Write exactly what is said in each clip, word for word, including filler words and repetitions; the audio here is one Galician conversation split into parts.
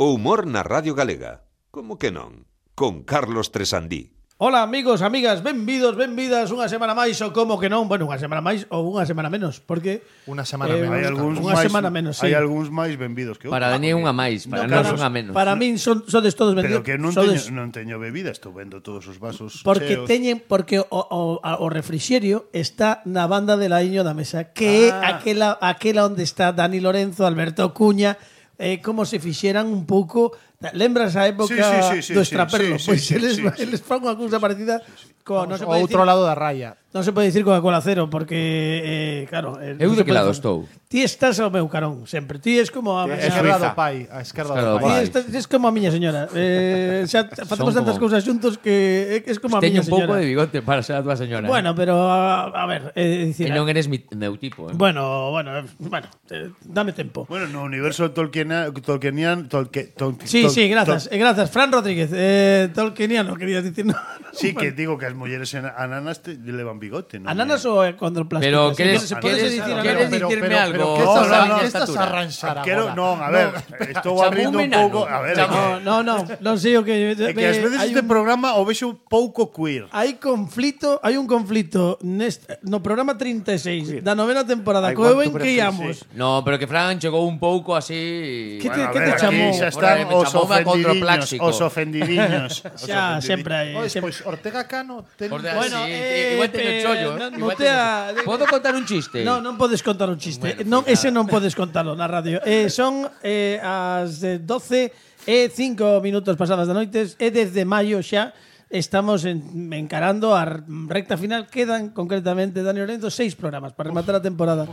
O humor na Radio Galega. Como que non? Con Carlos Tresandí. Ola amigos, amigas, benvidos, benvidas unha semana máis ou como que non, bueno, unha semana máis ou unha semana menos, porque unha semana eh, menos. Hai algúns unha máis, semana menos, sí. Hai algúns máis benvidos que outros. Para Dani unha máis, para No, nós para, unha menos. para min son sodes todos benvidos. Pero que non sodes, teño, non teño bebida, estou vendo todos os vasos porque cheos. teñen porque o, o, o refrixerio está na banda de laiño da mesa, que é Ah. aquela aquela onde está Dani Lorenzo, Alberto Cuña, eh, como se fixeran un pouco. Lembras a época Sí, sí, sí, sí, do sí, extraperlo? sí, sí, Pois sí, eles, sí, sí. eles fan unha cousa parecida co, non se O pode outro decir, lado da raya. non se pode dicir Coca-Cola cero porque eh, claro, eh, Eu non de se que pode lado facer. estou? Ti estás ao meu carón sempre. Ti es como a A miña esquerda Suiza. do pai, a esquerda Esquerda do do Ti pai. estás, es como a miña señora. Eh, xa facemos Son tantas como- cousas xuntos que é es como a Teño miña un pouco señora. de bigote para ser a tua señora. Bueno, pero a, a ver, é dicir, E non eres mi, meu tipo, eh. bueno, bueno, eh, bueno, eh, dame tempo. Bueno, no universo Tolkiena, Tolkienian, Tolkien, Tol, Sí, Tol- sí, grazas, Tol- eh, grazas. Fran Rodríguez, eh, Tolkieniano, querías dicir, no. Sí, que digo que as mulleres en- ananas te levan bigote, non? Ananas ou é cuando el plástico? Pero Se queres, pode- se pode queres, dicir queres ananas? pero- dicirme pero- algo? pero que estás No, no, a- no, que estás estatura. a arranxar Quero, agora? non, a ver, estou Chamou abrindo un menano. pouco, a ver, é No, que, no, no, non sei o que... é que ás veces hai este un- programa o vexo un pouco queer. Hai conflito, hai un conflito nest, no programa treinta e seis da novena temporada Ai, co eu cuánto en que prefixi. íamos. No, pero que Fran chegou un pouco así... Que te, Bueno, a que ver, te chamou? aquí xa Por están aí me os chamoume a ofendidiños, contrapláxico. os ofendidiños. os Xa, ofendidiños. sempre hai. Pois, sempre- pois Ortega Cano ten... Por de- Bueno, sí, eh, igual teño eh, chollo, no, eh. Igual mutea- teño- Podo contar un chiste? No, non podes contar un chiste. Bueno, non, pues ese nada. non podes contalo na radio. Eh, son eh, as de doce e cinco minutos pasadas da noites e desde maio xa estamos en, encarando a recta final. Quedan concretamente, Dani Lorenzo, seis programas para rematar a temporada.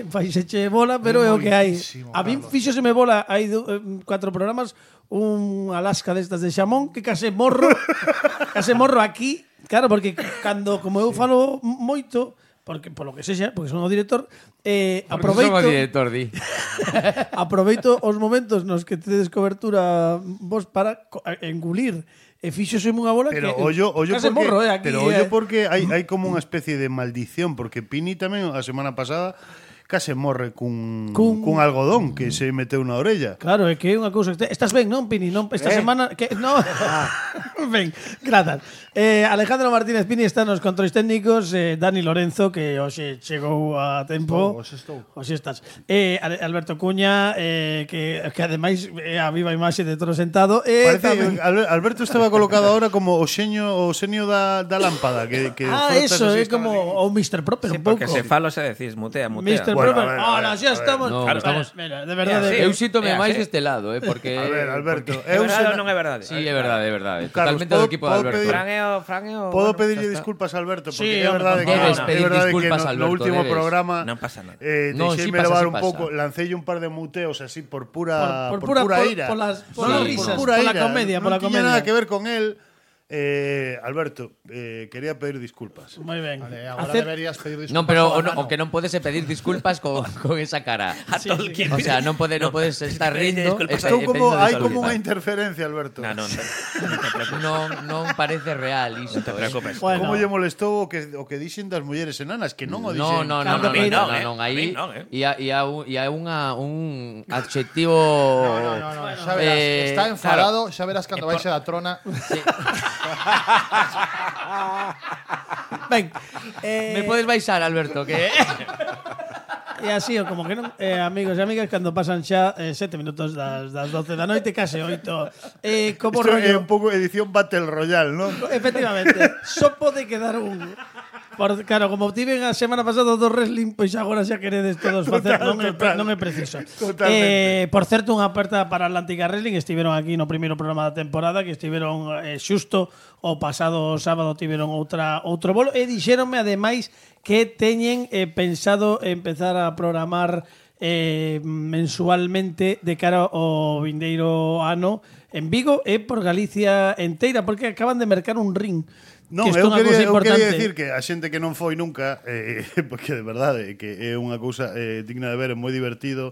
Faiseche bola, pero é o que hai. Moitísimo, A min Carlos. fíxoseme bola, hai do, eh, cuatro programas, un Alaska destas de xamón que case morro, case morro aquí, claro, porque cando como eu falo moito, porque polo que sexa, porque son o director, eh, aproveito Somos director, di. aproveito os momentos nos que tedes cobertura vos para co- engulir e fíxoseme unha bola Pero que ollo, ollo case porque, morro, eh, aquí, pero ollo eh. porque hai, hai como unha especie de maldición, porque Pini tamén a semana pasada case morre cun, Cun- cun algodón que se meteu na orella. Claro, é que é unha cousa. Estás ben, non, Pini? Non, esta Eh? semana que no. Ben, grazas. Eh, Alejandro Martínez Pini está nos controis técnicos, eh, Dani Lorenzo que hoxe chegou a tempo. Hoxe estou. Hoxe estás. Eh, Ale- Alberto Cuña, eh, que que ademais é a viva imaxe de Toro Sentado, eh, Parece tamén- que Al- Alberto estaba colocado ahora como o xeño o xenio da, da lámpada que, que Ah, frotas eso, así, é como o mister Proper Sí, un pouco. porque se falo se decís, mutea, mutea. mister Bueno, Proper. a ver, a Ahora, ver, xa a ver. estamos. No, Claro, estamos- mira, de verdade. É así. Eu sítome É máis así. deste lado, eh, porque... A ver, Alberto, É eu verdade se- ou non é verdade? Sí, é verdade, é verdade. Carlos, Totalmente do podo- equipo de podo Alberto. pedir- Fran é o... Fran é o... Podo bueno, pedirlle xa está. disculpas a Alberto porque Sí, é verdade que debes é pedir verdade disculpas, que no, Alberto, no último debes. programa Non pasa nada. eh, No, sí deixeime pasa, levar sí un pasa. pouco, lancei un par de muteos así por pura Por- por, por pura- pura por- ira. por las- por las por risas, pura por la ira. comedia, non por la tiña comedia. nada que ver con él. Eh, Alberto, eh, quería pedir disculpas. Moi ben. Vale, agora Hacer- deberías pedir disculpas. Non, pero o, ao no, o Cano. que non podes é pedir disculpas con, con esa cara. A Tolkien. O sea, non pode, non podes estar rindo. Disculpas. e- Estou e como pedindo hai disculpas. como unha interferencia, Alberto. No, no, no, non te preocupes. Non, non parece real isto. Non te preocupes. Bueno. Como lle molestou o que o que dixen das mulleres enanas, que non o dixen. No, no, no, Cando no, no, que no, non, eh. no, non, A aí mí non, eh. e e a un, e a unha un adxectivo No, no, no, xa verás, eh, está enfadado, xa verás cando baixe da trona. Ben, eh, Me podes baixar, Alberto, que E así, o como que non, eh, amigos e amigas, cando pasan xa eh, sete minutos das, das doce da noite, case oito. Eh, como Isto é rollo, un pouco edición Battle Royale, non? efectivamente, só pode quedar un. Por, claro, como tiven a semana pasada do wrestling, pois agora xa queredes todos facer, non é, total. non é preciso. Totalmente. Eh, por certo, unha aperta para Atlántica Wrestling, estiveron aquí no primeiro programa da temporada, que estiveron eh, xusto o pasado sábado tiveron outra outro bolo e dixéronme ademais que teñen eh, pensado empezar a programar eh, mensualmente de cara ao vindeiro ano en Vigo e por Galicia enteira, porque acaban de mercar un ring. Non, que isto é eu unha quería, cousa eu importante. quería decir que a xente que non foi nunca, eh, porque de verdade que é unha cousa eh, digna de ver, é moi divertido,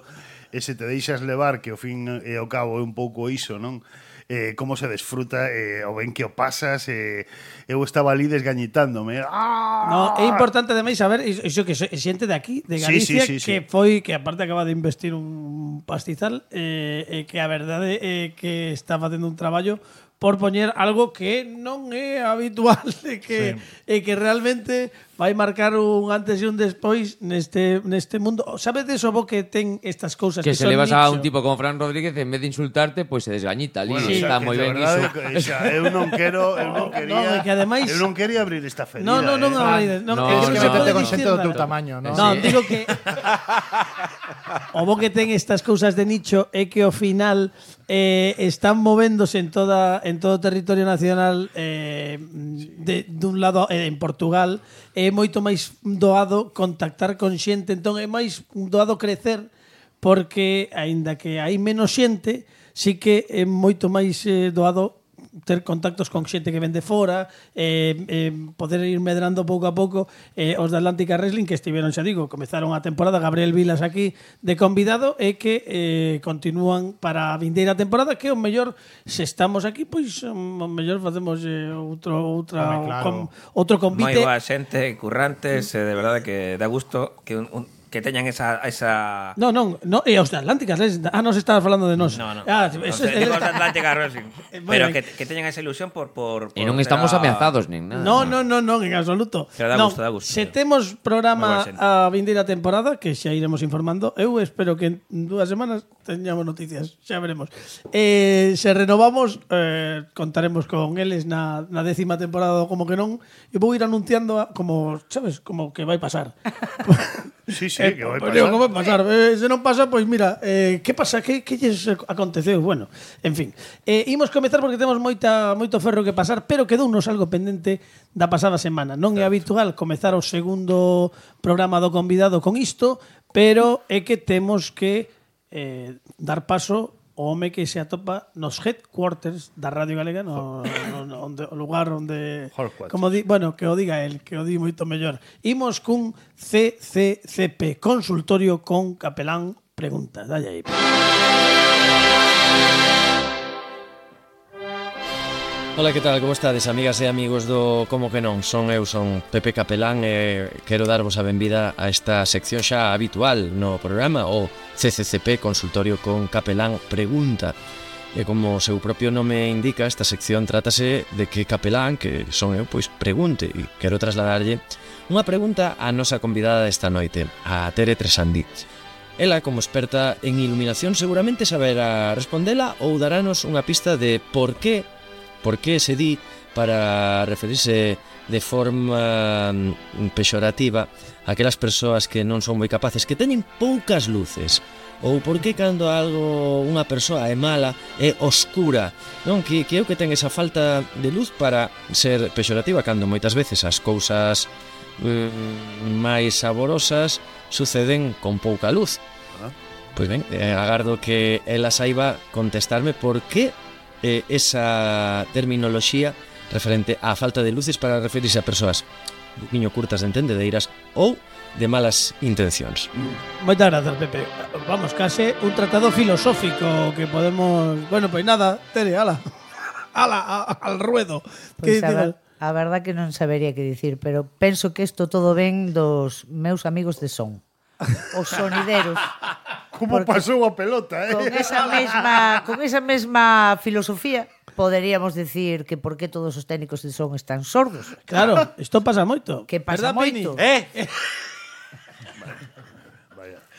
e se te deixas levar, que ao fin e ao cabo é un pouco iso, non? eh, como se desfruta, eh, o ben que o pasas, eh, eu estaba ali desgañitándome. ¡Ah! No, é importante ademais saber iso que é xente de aquí, de Galicia, Sí, sí, sí, que sí. foi que aparte acaba de investir un pastizal, eh, eh, que a verdade é que está facendo un traballo por poñer algo que non é habitual e que, sí. e que realmente vai marcar un antes e un despois neste, neste mundo. Sabedes o bo que ten estas cousas que, Que se son le vas nicho? a un tipo como Fran Rodríguez, en vez de insultarte, pois se desgañita ali. Bueno, Sí. Está xa, moi que de ben verdade, iso. xa, eu non quero, eu non quería, Non, é que ademais- eu non quería abrir esta ferida. No, no, non, eh. habláis, non, No, é que no. non se Métete pode con dicir xente do teu nada. tamaño, ¿no? No, Sí. digo que o bo que ten estas cousas de nicho é que ao final eh, están movéndose en toda en todo o territorio nacional, eh, de dun lado eh, en Portugal é moito máis doado contactar con xente, entón é máis doado crecer porque aínda que hai menos xente, sí que é moito máis eh, doado ter contactos con xente que vende fora, eh, eh, poder ir medrando pouco a pouco. Eh, os da Atlántica Wrestling que estiveron, xa digo, comezaron a temporada, Gabriel Vilas aquí de convidado, e que eh, continúan para a vindeira temporada, que o mellor, se estamos aquí, pois o mellor facemos eh, outro outra Home, claro. com, outro Moi convite. boa xente, currantes, eh, de verdade que dá gusto que un, un, que teñan esa esa No, non, no, e os da Atlántica Wrestling. Ah, nos estabas falando de nós. No, no. Ah, No eso sé, es, digo os da Atlántica Wrestling. Eh, bueno, Pero eh. que, que teñan esa ilusión por por, por E non ver estamos a- ameazados nin nada. No, no, no, no, en absoluto. Pero dá Non, gusto, dá gusto. Se temos programa Moi boa xente. a vindeira temporada, que xa iremos informando, eu espero que en dúas semanas teñamos noticias, xa veremos. Eh, se renovamos, eh, contaremos con eles na, na décima temporada do Como que non, e vou ir anunciando a, como, sabes, como que vai pasar. Sí, sí, Eh, que vai pois pasar. digo, como vai pasar? Eh, se non pasa, pois mira, eh, que pasa? Que, que lles aconteceu? Bueno, en fin. Eh, imos comezar porque temos moita, moito ferro que pasar, pero quedounos algo pendente da pasada semana. Non é habitual comezar o segundo programa do convidado con isto, pero é que temos que eh, dar paso o home que se atopa nos headquarters da Radio Galega, no, no, no onde, o lugar onde Headquarters. como di, bueno, que o diga el, que o di moito mellor. Imos cun C C C P, consultorio con Capelán Preguntas. Dalle aí. Ola, que tal? Como estades, amigas e amigos do Como que non? Son eu, son Pepe Capelán e quero darvos a benvida a esta sección xa habitual no programa, o C C C P, Consultorio con Capelán Pregunta. E como o seu propio nome indica, esta sección trátase de que Capelán, que son eu, pois pregunte, e quero trasladarlle unha pregunta á nosa convidada desta noite, a Tere Tresandí. Ela, como experta en iluminación, seguramente saberá respondela ou darános unha pista de por que por que se di para referirse de forma mm, pexorativa a aquelas persoas que non son moi capaces, que teñen poucas luces, ou por que cando algo unha persoa é mala é oscura, non? Que, que é o que ten esa falta de luz para ser pexorativa, cando moitas veces as cousas mm, máis saborosas suceden con pouca luz. Pois ben, eh, agardo que ela saiba contestarme por que eh, esa terminoloxía referente á falta de luces para referirse a persoas un poquinho curtas de entendedeiras ou de malas intencións. Moitas grazas, Pepe. Vamos, case un tratado filosófico que podemos... Bueno, pois nada, Tere, ala. Ala, a, al ruedo. Pois Que a, digo? ver, a verdad que non sabería que dicir, pero penso que isto todo ven dos meus amigos de son. Os sonideros. Como Porque pasou a pelota, eh? Con esa mesma, con esa mesma filosofía poderíamos decir que por que todos os técnicos de son están sordos. Claro, isto pasa moito. Que pasa Verdad, Pini? moito. Eh.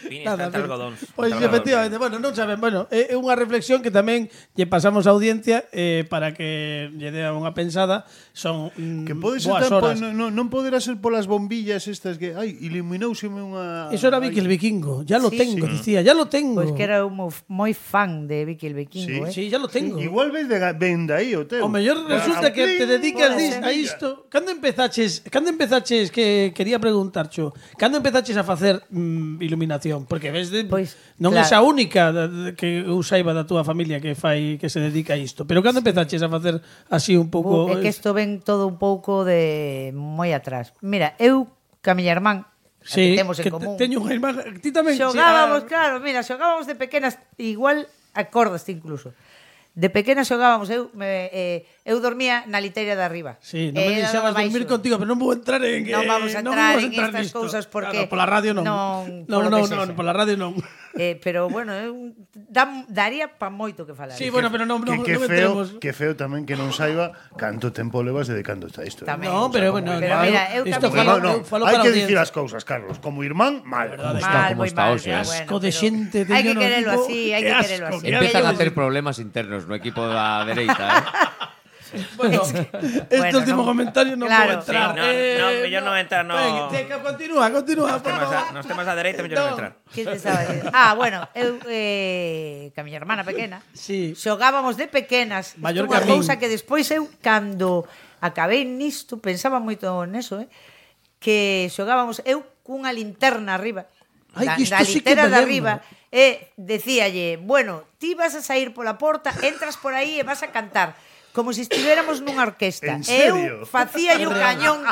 Vini está Nada, entre algodóns. Pois Entre algodóns. efectivamente, bueno, non saben, bueno, é unha reflexión que tamén lle pasamos á audiencia eh, para que lle dea unha pensada, son mm, Que pode ser boas tan, horas. non, non, non poderá ser polas bombillas estas que, ai, iluminouseme unha... Eso era Vicky el Vikingo, ya lo Sí. tengo, dicía, ya lo tengo. Pois que era un mo- moi fan de Vicky el Vikingo, eh? Sí, ya lo tengo. Igual ves de ga- ven de aí o teu. O mellor resulta que te dedicas Pode dis, ser. a isto. Cando empezaches, cando empezaches que quería preguntarcho, cando empezaches a facer mm, iluminación, porque ves de Pois, non claro. é a única da- da- que eu saiba da túa familia que fai que se dedica a isto, pero cando empezaches a facer así un pouco É que isto ven todo un pouco de moi atrás. Mira, eu, ca miña irmán, sí, que temos en que te- común. teño unha irmán, ti tamén. Xogábamos, sí, ah, claro, mira, xogábamos de pequenas, igual acordaste incluso. De pequena xogábamos, eu me, eh, eu dormía na liteira de arriba. Sí, non me Era deixabas do dormir baixo. contigo, pero non vou entrar en Non vamos a non entrar vamos a en entrar estas nisto. cousas porque Claro, pola radio non. non- Non, polo non, que non, sexa. pola radio non. Eh, pero bueno, eu, dam, daría pa moito que falar. Sí, bueno, pero non, non, Que, que non feo, entremos. que feo tamén que non saiba canto tempo levas dedicando a isto. eh. Tamén. No, pero bueno, Pero no, mira, eu isto tamén- falo, No, no, eu falo hai para que a dicir audiencia. as cousas, Carlos. Como irmán, mal. Mal, como moi está mal. hoxe, pero eh. bueno, Asco de pero xente Hai teño que no querelo equipo. así, hai Qué que querelo asco, así. qué Empezan a asco. ter problemas internos no equipo da dereita, eh? Bueno, este Bueno, último non- comentario non claro, vou entrar. sí, no, no, mellor non entrar, no. Venga, teca, continúa, continúa. Nos temas, a, nos temas a dereita, mellor non entrar. Que te estaba dicindo? Ah, bueno, eu eh, que a miña hermana pequena Sí. xogábamos de pequenas. Isto Mallorca unha a min. cousa que despois eu cando acabei nisto pensaba moito neso, eh, que xogábamos eu cunha linterna arriba. Ai, da, que isto da sí que litera me de lembro. arriba e decíalle, bueno, ti vas a sair pola porta, entras por aí e vas a cantar como se estivéramos nunha orquesta. En E serio? eu facía o cañón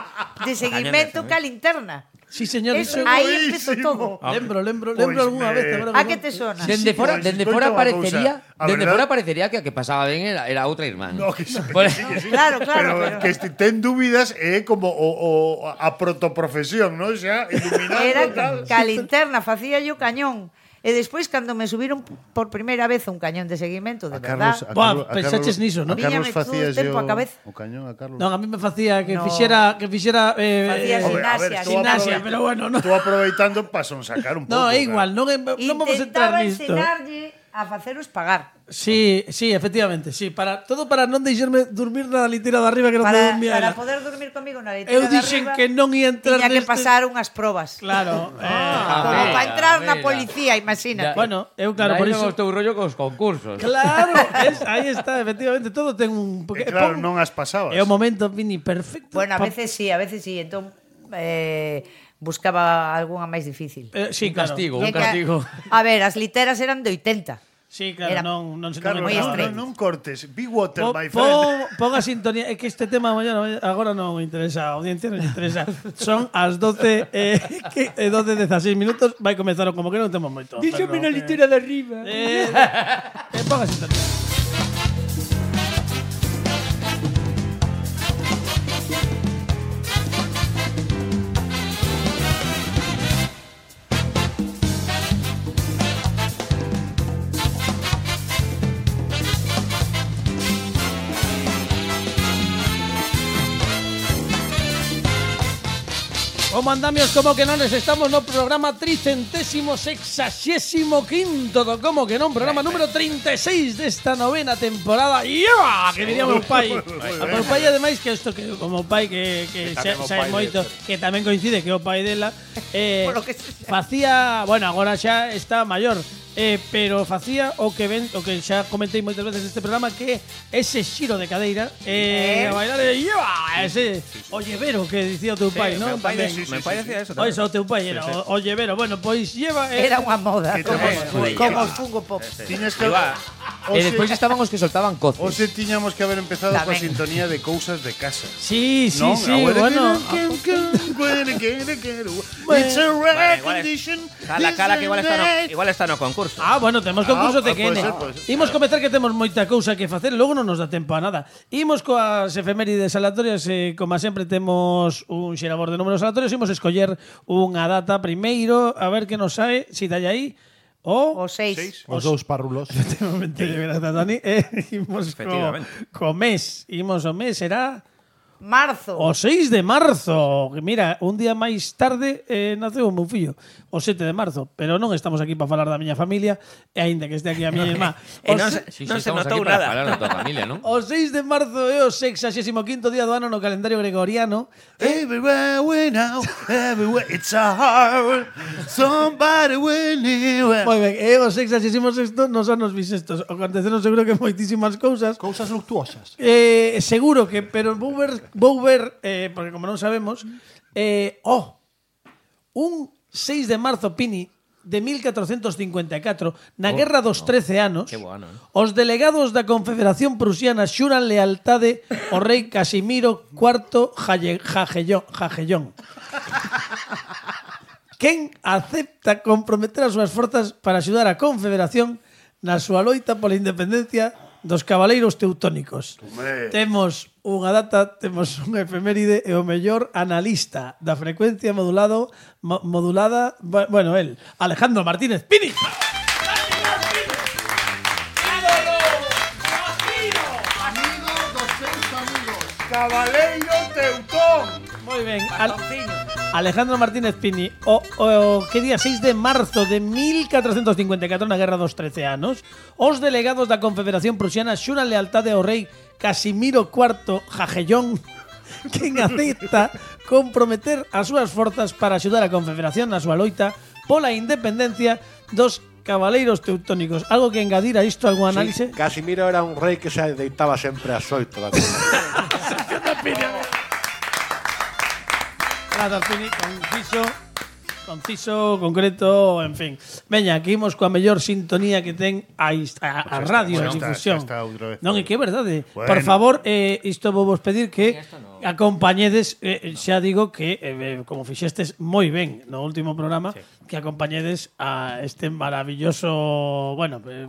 de seguimento Cañón de ca linterna. Sí, señor, Eso, iso- aí empezou buenísimo. todo. Lembro, lembro, Pois lembro algunha me- vez. agora A que que non- te sona? Dende fora, pois, dende escoita fora unha parecería, cousa. A dende verdad- fora parecería que a que pasaba ben era, era outra irmán. No, que sí, Por- que sí, que sí. Claro, claro, Pero, pero- que este, ten dúbidas é como o, o, a protoprofesión, ¿no? Xa, iluminando Era tal. ca linterna, facía yo cañón. E despois, cando me subiron por primeira vez un cañón de seguimento, de A Carlos, verdad... a Buah, Carlos, a pensaches Carlos- niso, ¿no? A Carlos Víñame todo o facías tempo yo a cabeza. o cañón a Carlos. Non, a mí me facía que No. fixera que fixera eh, Facía eh, Hombre, a ver, gimnasia, estou gimnasia, aproveitando- pero bueno, no. Estou aproveitando para sonsacar un pouco. No, é claro. igual, non, é- non vamos a entrar Intentaba nisto. ensinarlle a faceros pagar. Sí, sí, efectivamente, sí, para todo para non deixarme dormir na litera de arriba que non te Para, dormía para ela. poder dormir comigo na leitera Eu de dixen arriba, que non ia entrar tiña que neste- pasar unhas probas. Claro. eh, Como mira, para entrar na mira. policía, imagínate. bueno, eu claro, Aí por non iso. os teu rollo cos concursos. Claro, es, aí está, efectivamente, todo ten un E porque claro, pon- non as pasabas. É o momento Vini perfecto. Bueno, a pa- veces sí, a veces sí. Entón, eh, buscaba algunha máis difícil. eh, sí, Un claro. castigo, E un que- castigo. A ver, as literas eran de oitenta. Sí, claro, Era non non se Carlos, non moi no, estreito. no, non cortes. Be water, Pon, my friend. pon, pon a sintonía, é que este tema mañana agora non me interesa, a audiencia non me interesa. Son as doce eh, que, eh, doce e dezasseis minutos, vai comezar o como que non temos moito. Díxome pero, na litera de arriba. Eh, eh, pon a sintonía. Como andamios, como que non, estamos no programa tricentésimo sexagésimo quinto do Como que non, programa número treinta e seis desta novena temporada. ¡Iba! Que diría o meu pai. A meu pai, ademais, que isto que o meu pai que, que, Que xa, tamén o xa é pai moito, que tamén coincide que é o pai dela, eh, Por lo que sea. facía, bueno, agora xa está maior, eh, pero facía o que ven, o que xa comentei moitas veces neste programa, que ese xiro de cadeira, eh, Eh. a bailar de ¡iba! Ese o llevero que dicía o teu pai, non? meu pai, Tamén. de, meu pai decía eso O tamén. iso, o teu pai era o, o llevero. Bueno, pois lleva... eh, Era unha moda. Que Como, tamén, como, joder, como lleva. os Funko Pop. Tiñas que Igual. E despois estaban os que soltaban coces. Ose tiñamos que haber empezado coa Tamén. sintonía de cousas de casa. Sí, sí, Non, sí, agora bueno. que- que- que- que- que- que- It's a Bueno, rare igual es- condition. Cala, cala, que igual está no, igual está no concurso. Ah, bueno, temos concurso Ah, de ah, Kene. pode ser, pode ser. Imos comezar que temos moita cousa que facer, logo non nos dá tempo a nada. Imos coas efemérides aleatorias, eh, como sempre temos un xerador de números aleatorios, imos escoller unha data primeiro, a ver que nos sae, si dalle aí, o... O seis. Seis. Os dous párrulos. Efectivamente, grazas, Dani. Eh, imos co, Efectivamente. co mes, imos o mes, será... Marzo. O seis de marzo. Mira, un día máis tarde eh, naceu o meu fillo, o sete de marzo, pero non estamos aquí para falar da miña familia, e aínda que este aquí a miña irmá. E O non se- se, Sí, non sí, se estamos notou aquí para nada. falar da tua familia, non? O seis de marzo é o sexagésimo quinto día do ano no calendario gregoriano. Everywhere we know, everywhere it's a heart. Somebody we knew. Moi ben, é o sexagésimo sexto nos anos bisestos. Aconteceron seguro que moitísimas cousas. Cousas luctuosas. Eh, seguro que, pero vou ver, vou ver eh, porque como non sabemos, eh, oh, un seis de marzo, Pini, de mil catrocentos cincuenta e catro, na Guerra dos trece anos, Qué bueno, eh. os delegados da Confederación Prusiana xuran lealtade ao rei Casimiro cuarto Jaye- Jagellón. Jagellón. Quen acepta comprometer as súas forzas para axudar a Confederación na súa loita pola independencia dos cabaleiros teutónicos. Hombre. Temos unha data, temos un efeméride e o mellor analista da frecuencia modulado mo, modulada, bueno, el, Alejandro Martínez Pini. Amigo dos seus amigos. Cabaleiro Teutón. Moi ben. Al Alejandro Martínez Pini, o, o que día seis de marzo de mil catrocentos cincuenta e catro, na Guerra dos trece anos, os delegados da Confederación Prusiana xuran lealtade ao rei Casimiro cuarto Jagellón, quen acepta comprometer as súas forzas para axudar a Confederación na súa loita pola independencia dos cabaleiros teutónicos. Algo que engadir a isto, algún análise? Sí, Casimiro era un rei que se deitaba sempre ás oito da tarde. Grazas, Pini, conciso, conciso, concreto, en fin. Veña, aquí imos coa mellor sintonía que ten a, a, a radio bueno, de difusión. está, está outra vez. Non, e que é verdade. Bueno. Por favor, eh, isto vou vos pedir que acompañedes, eh, xa digo que, eh, como fixestes moi ben no último programa, sí, que acompañedes a este maravilloso, bueno, eh,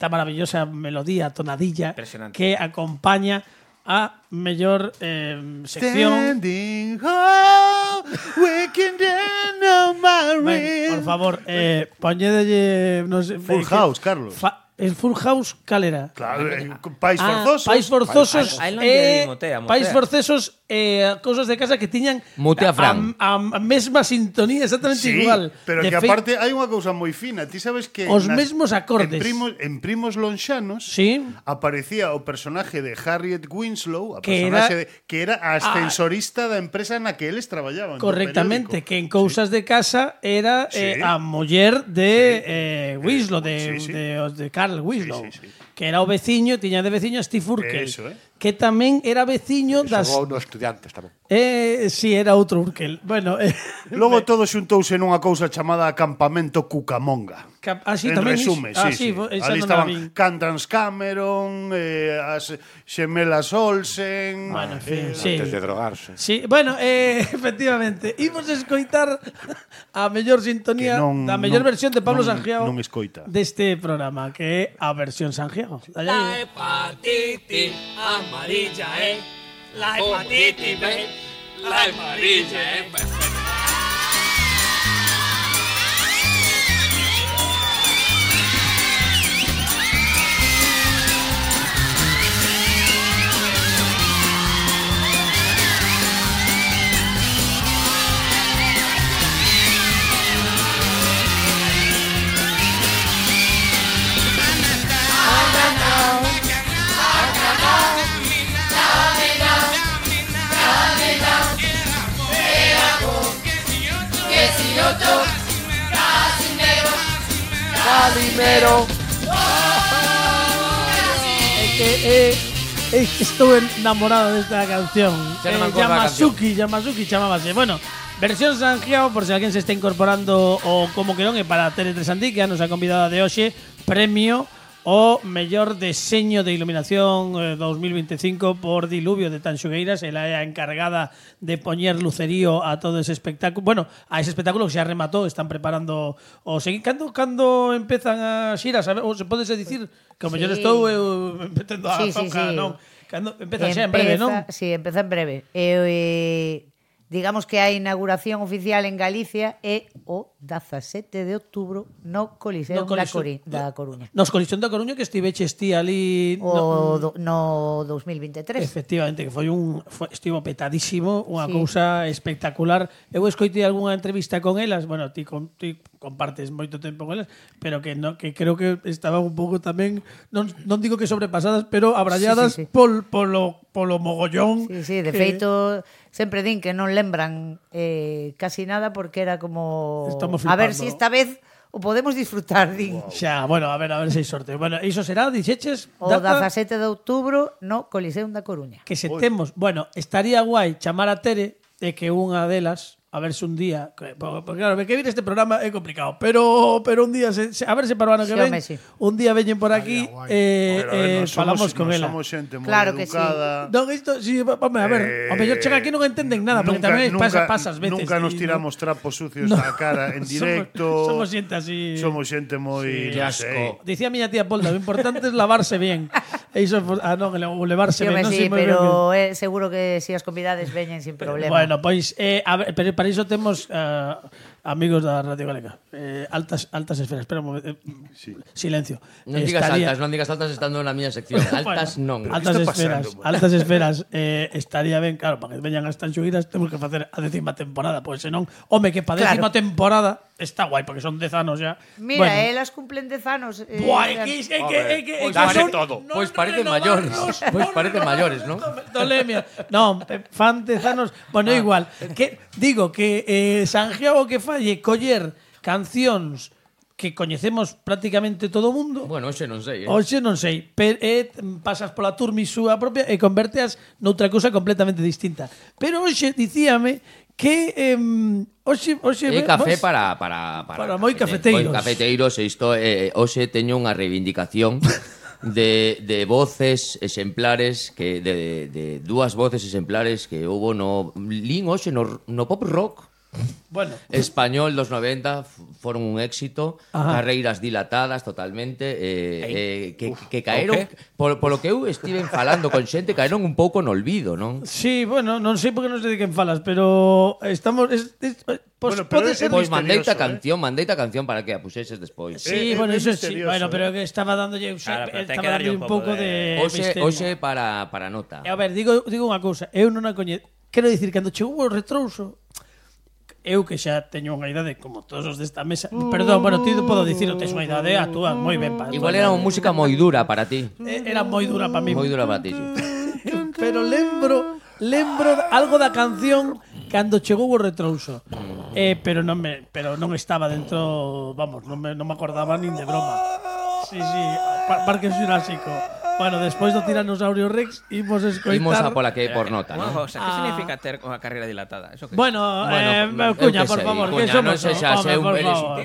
esta maravillosa melodía, tonadilla, que acompaña a mellor eh, sección. Standing home, waking down on my Ben, por ring. favor, eh, poñedelle, no sé, Full eh, House, Carlos. Fa, es Full House, calera? Claro, eh, Pais Ah, Forzosos. Pais Forzosos, A él non eh, lle motea, motea. Pais Forzosos, eh, cousas de casa que tiñan Mutea Fran. a, a, a mesma sintonía, exactamente Sí, igual. pero De que fei- aparte hai unha cousa moi fina. Ti sabes que Os mesmos acordes. En primos, en primos lonxanos Sí. aparecía o personaje de Harriet Winslow, a Que personaxe era- de, que era a ascensorista da empresa na que eles traballaban. do Correctamente, periódico. que en cousas de casa era eh, Sí. a muller de eh, Winslow, de, sí, sí. de, de Carl Winslow, Sí, sí, sí. que era o veciño, tiña de veciño a Steve Urkel, Eso, eh. que tamén era veciño das... Xogou no Estudiantes tamén. Eh, si, era outro Urkel. Bueno, eh, Logo todo xuntouse nunha cousa chamada Acampamento Cucamonga. Cap- ah, sí, en tamén resume, iso. Ah, sí, sí. sí, esa Ali non a estaban vin. Cantans Cameron, eh, as xemelas Olsen. Bueno, en fin, eh, sí. Antes de drogarse. Sí, bueno, eh, efectivamente, imos escoitar a mellor sintonía Que non- da mellor non- versión de Pablo non- Sangiao non escoita. deste programa, que é a versión Sangiao. Dalle aí. hepatitis amarilla, eh. La hepatitis B, la amarilla, eh. Calimero. É que eh, é que estou enamorado desta canción. Xa non me Eh, acordo da Yamasuki, Yamasuki chamábase. Bueno, versión Sangiao, por se alguén se está incorporando o como que non, é para Tele tres Andí, que a nosa convidada de hoxe, premio o mellor deseño de iluminación eh, dos mil veinticinco por Diluvio de Tanxugueiras. Ela é a encargada de poñer lucerío a todo ese espectáculo. Bueno, a ese espectáculo que xa rematou, están preparando o seguir. Cando, cando empezan a xiras? A ver, ou se podese dicir que o mellor Sí. estou eu metendo a Sí, sí, zoca, sí. non? Cando empeza xa en breve, non? Sí, empeza en breve. E, eh, digamos que a inauguración oficial en Galicia é o dezasete de outubro no Coliseo No da, Coliseo- Cori, da Coruña. Nos Colisión da Coruña, que estiveches ti ali O no, do, no dos mil veintitrés. efectivamente, que foi un foi, estivo petadísimo, unha Sí. cousa espectacular. Eu escoitei algunha entrevista con elas, bueno, ti, con, ti compartes moito tempo con elas, pero que no, que creo que estaban un pouco tamén, non, non digo que sobrepasadas, pero abralladas Sí, sí, sí. Pol, polo, polo mogollón. Sí, sí, de que- feito sempre din que non lembran eh, casi nada porque era como Estamos a ver flipando. si esta vez o podemos disfrutar, din. Xa, bueno, a ver, a ver se hai sorte. Bueno, iso será, dixeches, O data dezasete de outubro no Coliseo da Coruña. que se temos. Bueno, estaría guai chamar a Tere e que unha delas, a ver se un día, que, porque claro, que vir este programa é complicado, pero pero un día se, se, a ver se para o ano que Sí, ven, home, sí. un día veñen por aquí eh, Pero, a ver, eh, nos somos- falamos con nos ela. Somos xente moi Claro que sí. educada. Non, isto, sí, home, a ver, o mellor chega aquí non entenden nada, porque tamén pasa, pasas veces. Nunca nos y- tiramos trapos sucios No. á cara en Somos- directo. somos xente así. Somos xente moi, Sí, non sei. Dicía miña tía Polda, lo importante es lavarse bien. Iso, ah, non, o levarse Sí, ben, home, non sí, sei moi ben. pero eh, seguro que si as convidades veñen sin problema. Bueno, pois, eh, a ver, pero para iso temos uh, amigos da Radio Galega. Eh, altas altas esferas. Espera un momento. Eh, sí. Silencio. Non digas Estaría... altas, non digas altas estando na miña sección. Altas bueno, non. Altas esferas. Pasando, altas esferas. Eh, estaría ben, claro, para que veñan as tanxuguiras temos que facer a décima temporada. Pois senón, home, que para décima claro. temporada está guai, porque son dez anos ya. Mira, bueno. elas cumplen dez anos. Eh, Buah, é que, é que, é que, pois parece todo. Pois parecen maiores. Pois parecen maiores, non? Tolemia. Non, fan dez anos. Bueno, ah. igual. Que, digo que eh, Santiago que falle coller cancións que coñecemos prácticamente todo o mundo. Bueno, hoxe non sei, eh. Hoxe non sei, pero eh, pasas pola turmi súa propia e converteas noutra cousa completamente distinta. Pero hoxe dicíame que eh, hoxe hoxe é café para para para, para moi cafeteiros. Moi cafeteiros, isto eh, hoxe teño unha reivindicación de, de voces exemplares que de, de dúas voces exemplares que houbo no lin hoxe no, no pop rock. Bueno, español dos noventa foron un éxito. Ajá. Carreiras dilatadas totalmente eh, eh, que, Uf, que caeron okay. por, por lo que eu estiven falando con xente, caeron un pouco no olvido, non? Sí, bueno, non sei por que non sei de quen falas, pero estamos es, es, pues, bueno, pode ser pois pues mandeita eh? canción, mandeita canción para que a puxeses despois. Sí, eh, bueno, eso sí, bueno, pero que estaba dándolle claro, estaba dándolle un pouco de, de Oxe, oxe para para nota. A ver, digo digo unha cousa, eu non a coñezo. Quero dicir, cando chegou o retrouso, eu que xa teño unha idade como todos os desta mesa. Perdón, bueno, ti podo dicirlo, tes unha idade, actúa moi ben para. Igual era unha música moi dura para ti. Era moi dura para mí. Moi dura para ti. Sí. Pero lembro, lembro algo da canción cando chegou o retrouso. Eh, pero non me, pero non estaba dentro, vamos, non me non me acordaba nin de broma. Sí, sí, Parque Xurásico. Bueno, despois do Tiranosaurio Rex imos escoitar. Imos a pola que por nota, ¿no? ¿no? O sea, que ah. significa ter unha carreira dilatada? Eso que bueno, eh, bueno, Cuña, por favor, que somos. Non sei xa, se un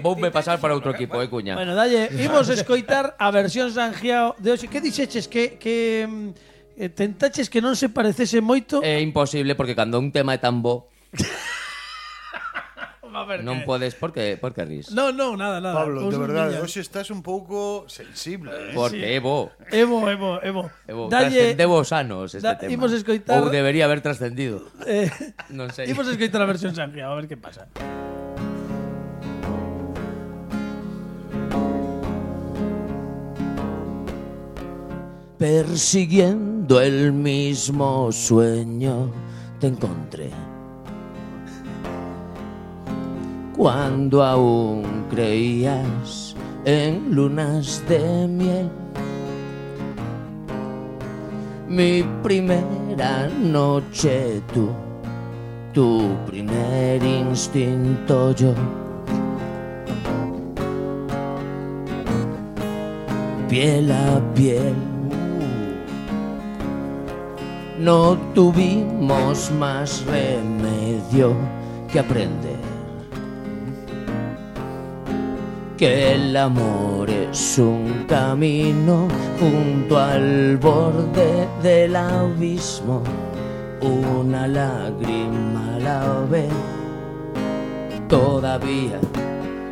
voume pasar para outro equipo, eh, Cuña. Bueno, dalle, imos escoitar a versión Sanjiao de hoxe. Que dixeches que que eh, tentaches que non se parecese moito? É imposible porque cando un tema é tan bo ver, non que... podes, por que, por que ris? No, no, nada, nada. Pablo, de verdade, hoxe estás un pouco sensible, eh? Porque sí. Evo. Evo, Evo, Evo. Evo, Dalle... trascendeu os anos este da... tema. Imos escoitar... Ou debería haber trascendido. Eh... Non sei. Imos escoitar a versión Sanjiao, a ver que pasa. Persiguiendo el mismo sueño te encontré cuando aún creías en lunas de miel. Mi primera noche tú, tu primer instinto yo. Piel a piel, no tuvimos más remedio que aprender que el amor es un camino junto al borde del abismo, una lágrima a la vez. Todavía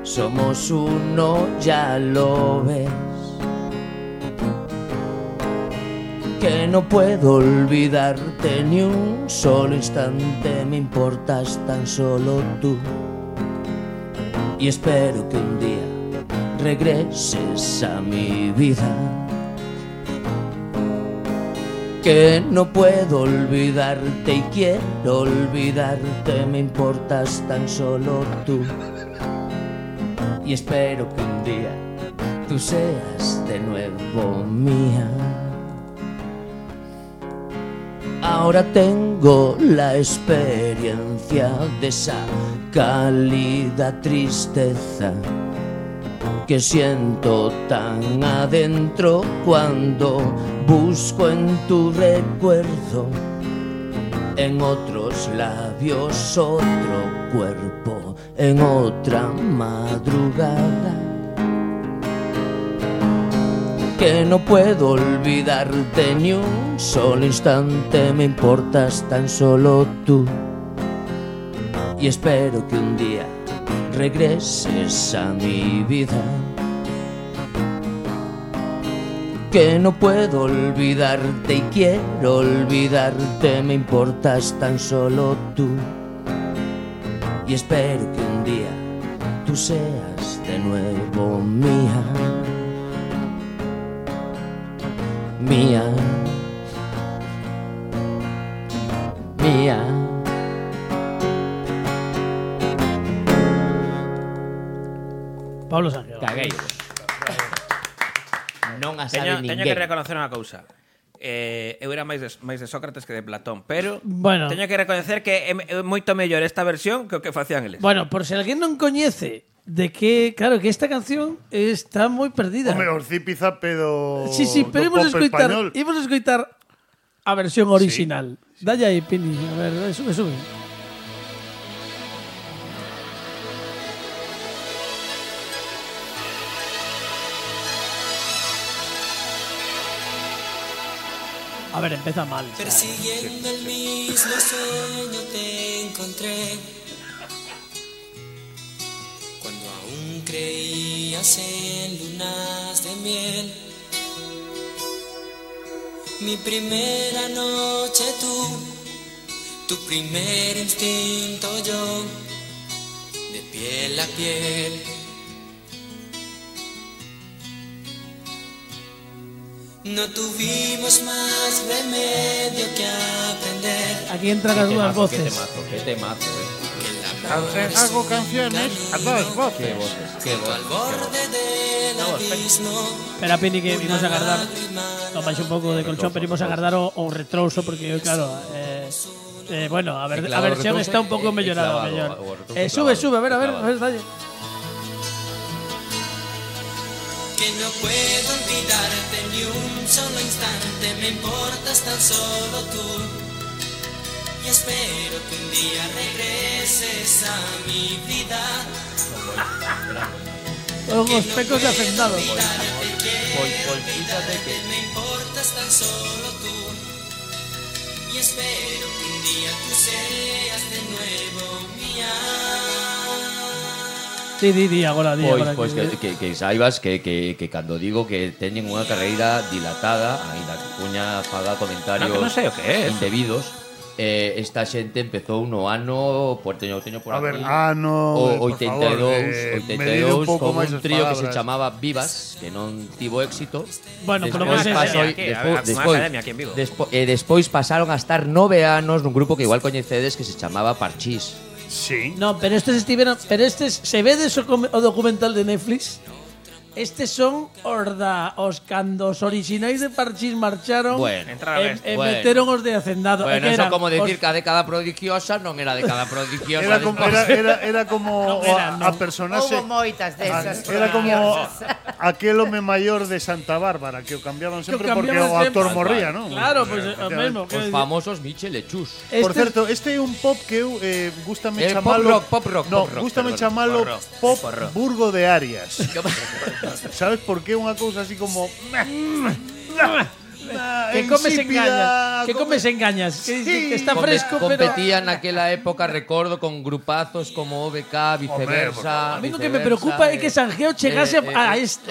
somos uno, ya lo ves. Que no puedo olvidarte ni un solo instante, me importas tan solo tú. Y espero que un día regreses a mi vida. Que no puedo olvidarte y quiero olvidarte, me importas tan solo tú. Y espero que un día tú seas de nuevo mía. Ahora tengo la experiencia de esa cálida tristeza que siento tan adentro cuando busco en tu recuerdo, en otros labios otro cuerpo, en otra madrugada. Que no puedo olvidarte ni un solo instante, me importas tan solo tú. Y espero que un día regreses a mi vida. que no puedo olvidarte y quiero olvidarte, me importas tan solo tú. Y espero que un día tú seas de nuevo mía, mía, mía. Pablo Sanguero. Caguei. Non a sabe Teño, ninguén. teño que reconocer unha cousa. Eh, eu era máis de, máis de Sócrates que de Platón, pero Bueno. teño que reconocer que é, é moito mellor esta versión que o que facían eles. Bueno, por se alguén non coñece de que, claro, que esta canción está moi perdida. Home, os zipizape do Sí, sí, pero do imos pop escoitar, español. imos escoitar a versión original. Sí. Dalle aí, Pini, a ver, sube, sube. A ver, empieza mal. O sea, Persiguiendo el mismo sueño te encontré. Cuando aún creías en lunas de miel. Mi primera noche tú, tu primer instinto yo, de piel a piel. No tuvimos más remedio que aprender. aquí entran las dudas voces. Qué temazo, qué temazo, eh. Hago canciones a dos voces. Qué voces, qué Al voces. borde del abismo. Espera, Pini, que vimos a guardar. Tomáis un pouco de colchón, pero vimos a guardar o, o retrouso, porque, claro, eh, eh, bueno, a ver, a Claro, versión retrouso está un pouco é- é mellorada, clavado, mellor. o retrouso Eh, sube, clavado, sube, a ver, a ver, a clavado. ver, dalle. Que no puedo olvidarte ni un solo instante, me importas tan solo tú. Y espero que un día regreses a mi vida. Con los pecos de hacendado. Olvidarte quiero Pois, pois, fíjate que me importas tan solo tú. Y espero que un día tú seas de nuevo mía. Sí, di, di, agora, di, Pois, agora. pois que, que, que saibas que, que, que cando digo que teñen unha carreira dilatada, aínda que puña faga comentarios No, que non sei o que é. indebidos, eh, esta xente empezou no ano, por teño, teño por A ver, aquí, ano, o eh, por oitenta e dous, favor, eh, oitenta e medide un dous pouco con máis un as trío que se palabras. chamaba Vivas, que non tivo éxito. Bueno, pero Despois vos pasou- aquí, a despois- ver, unha despois- academia aquí en Vigo. despo- e despois pasaron a estar nove anos nun grupo que igual coñecedes que se chamaba Parchís. Sí. No, pero estes estiveron, pero estes, se vedes o, come- o documental de Netflix, estes son os da os cando os orixinais de Parchís marcharon Bueno, entra a e, bestia. e Bueno. meteron os de Hacendado. E Bueno, que eso eran como decir os- que a década prodigiosa non era década prodigiosa. Era como, despois. era, era, era como No, era, a, no. a personaxe Houbo moitas desas. era como prodigiosas. aquel home maior de Santa Bárbara que o cambiaban Que o sempre porque cambiaban o actor sempre. morría, non? Claro, pues o mesmo. Os famosos Michel e Chus. Por Estes- certo, este é un pop que eu eh, gústame Eh, pop chamalo rock, pop rock, No, pop rock, gústame perdón. chamalo Pop rock, pop pop rock. Burgo de Arias. Sabes por qué unha cousa así como que comes insípida, engañas, que come- comes engañas, que, Sí. que está Compe- fresco, pero competía naquela época, recordo, con grupazos como O B K, viceversa. a mí lo que me viceversa, preocupa é eh, que Sanjeo chegase eh, a eh, esto.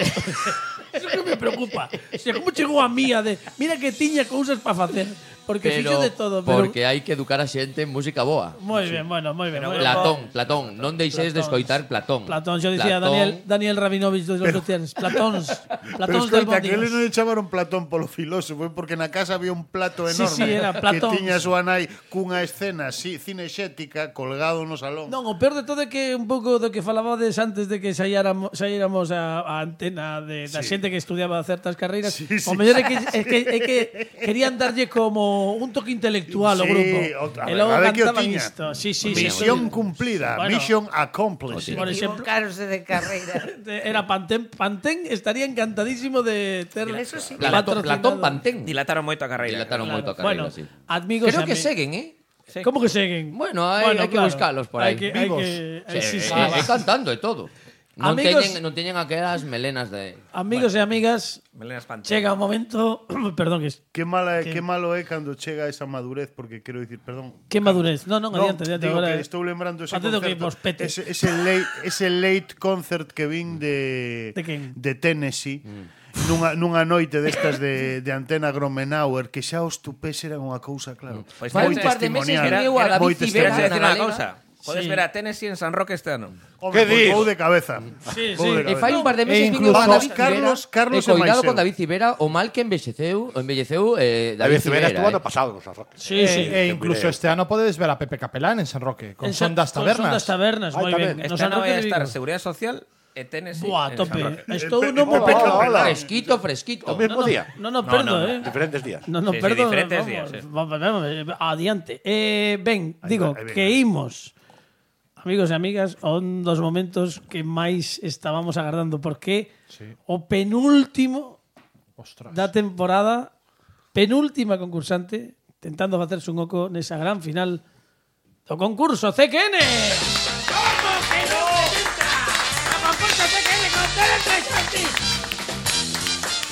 Eso que me preocupa. O sea, como chegou a mía de, mira que tiña cousas para facer, porque pero fixo de todo, pero porque hai que educar a xente en música boa. moi ben, bueno, moi ben. moi ben. Platón, Platón, non deixeis de escoitar Platón. Platón, yo decía Platón, Daniel Daniel Rabinovich dos los Lucianes. Platóns, Pero Platóns del escoita, que eles non Bondigas. lle chamaron Platón polo filósofo, é porque na casa había un plato Sí, enorme sí, era Platón. que tiña a súa nai cunha escena si, cinexética colgado no salón. Non, o peor de todo é que un pouco do que falabades antes de que saíramos, saíramos a, a antena de, da Sí. xente que estudiaba certas carreiras, Sí, sí. o mellor é que, é que, é que querían darlle como un toque intelectual ao Sí, grupo. o- a E ver, logo a ver que o cantaban tiña. isto. Sí, sí, Misión sí. cumplida, Bueno. mission accomplished. Por exemplo, Equivocarse de carreira. era Pantén. Pantén estaría encantadísimo de ter Eso sí. Platón, patrocinado. Platón Pantén. Dilataron moito a carreira. Dilataron moito a Bueno, carreira, sí. amigos Creo e que ami- seguen, eh? ¿Cómo que seguen? Bueno, hai, hai que claro. buscalos por aí. Hai que, hai Vivos. que, Sí, sí, sí, eh, sí. eh, cantando e todo. Non Amigos- teñen, non teñen aquelas melenas de... Amigos e amigas, Melenas Pantén. chega o momento, perdón, que Que mala é, Que- que malo é cando chega esa madurez, porque quero dicir, perdón. que madurez. No, non, No, adiante, adiante. digo Agora, que estou lembrando ese Facede o que concerto, vos pete. ese, ese, late, ese late concert que vin de, De quen? de Tennessee. nunha, nunha noite destas de, de Antena Gromenauer que xa os tupés eran unha cousa, claro. Pois Fai moi un par de meses testimonial. viu a David moi Civera Queres testimonial. decir na unha Galega. cousa? Podes Sí. ver a Tennessee en San Roque este ano. Home, Que pois dis? vou de cabeza. Sí, Vou sí. de E cabeza. fai un par de meses E viño incluso a David Carlos- Civera. Carlos e é cuidado máis con eu. David Civera, o mal que envexeceu, envelleceu eh, David David Civera Civera. estuvo ano eh. pasado no San Roque. Sí, sí. E incluso este ano podedes ver a Pepe Capelán en San Roque, con En Son das Con Son das Tabernas. tabernas, Ai, moi tamén. ben. No Este San ano Roque vai a de estar Vigo. Seguridade Social e Tennessee Buah, en San tope. Roque. Estou Pe- no Pepe momento. Capelán. Fresquito, fresquito. O mismo No, no, día. no, no, perdo, eh. Diferentes días. No, no, Sí, sí, perdón. diferentes vamos, días, sí. vamos, vamos, vamos, adiante. Eh, ben, Ahí digo, va, ahí que venga. imos, amigos e amigas, a un dos momentos que máis estábamos agardando, porque o penúltimo Ostras. da temporada, penúltima concursante, tentando facerse un oco nesa gran final do concurso C Q N. Como que non entra? O concurso C Q N con Tere Tresanti.